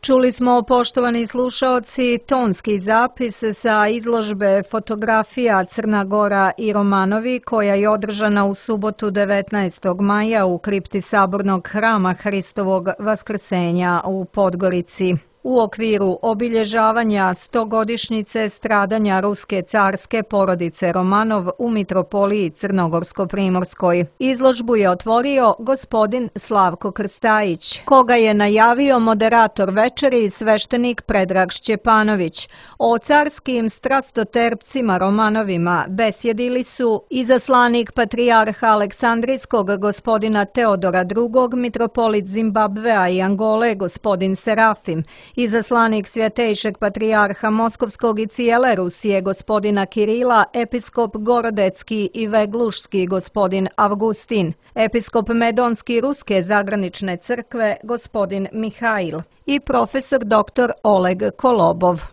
Čuli smo, poštovani slušaoci, tonski zapis sa izložbe fotografija Crna Gora i Romanovi, koja je održana u subotu 19. maja u kripti Sabornog hrama Hristovog Vaskrsenja u Podgorici. U okviru obilježavanja 100-godišnjice stradanja ruske carske porodice Romanov u mitropoliji Crnogorsko-Primorskoj. Izložbu je otvorio gospodin Slavko Krstajić, koga je najavio moderator večeri sveštenik Predrag Šćepanović. O carskim strastoterpcima Romanovima besjedili su izaslanik patrijarha Aleksandrijskog gospodina Teodora II, mitropolit Zimbabvea i Angole gospodin Serafim, izaslanik Svjetejšeg patrijarha Moskovskog i cijele Rusije gospodina Kirila, episkop Gorodecki i Veglušski gospodin Avgustin, episkop Medonski Ruske zagranične crkve gospodin Mihail i profesor dr. Oleg Kolobov.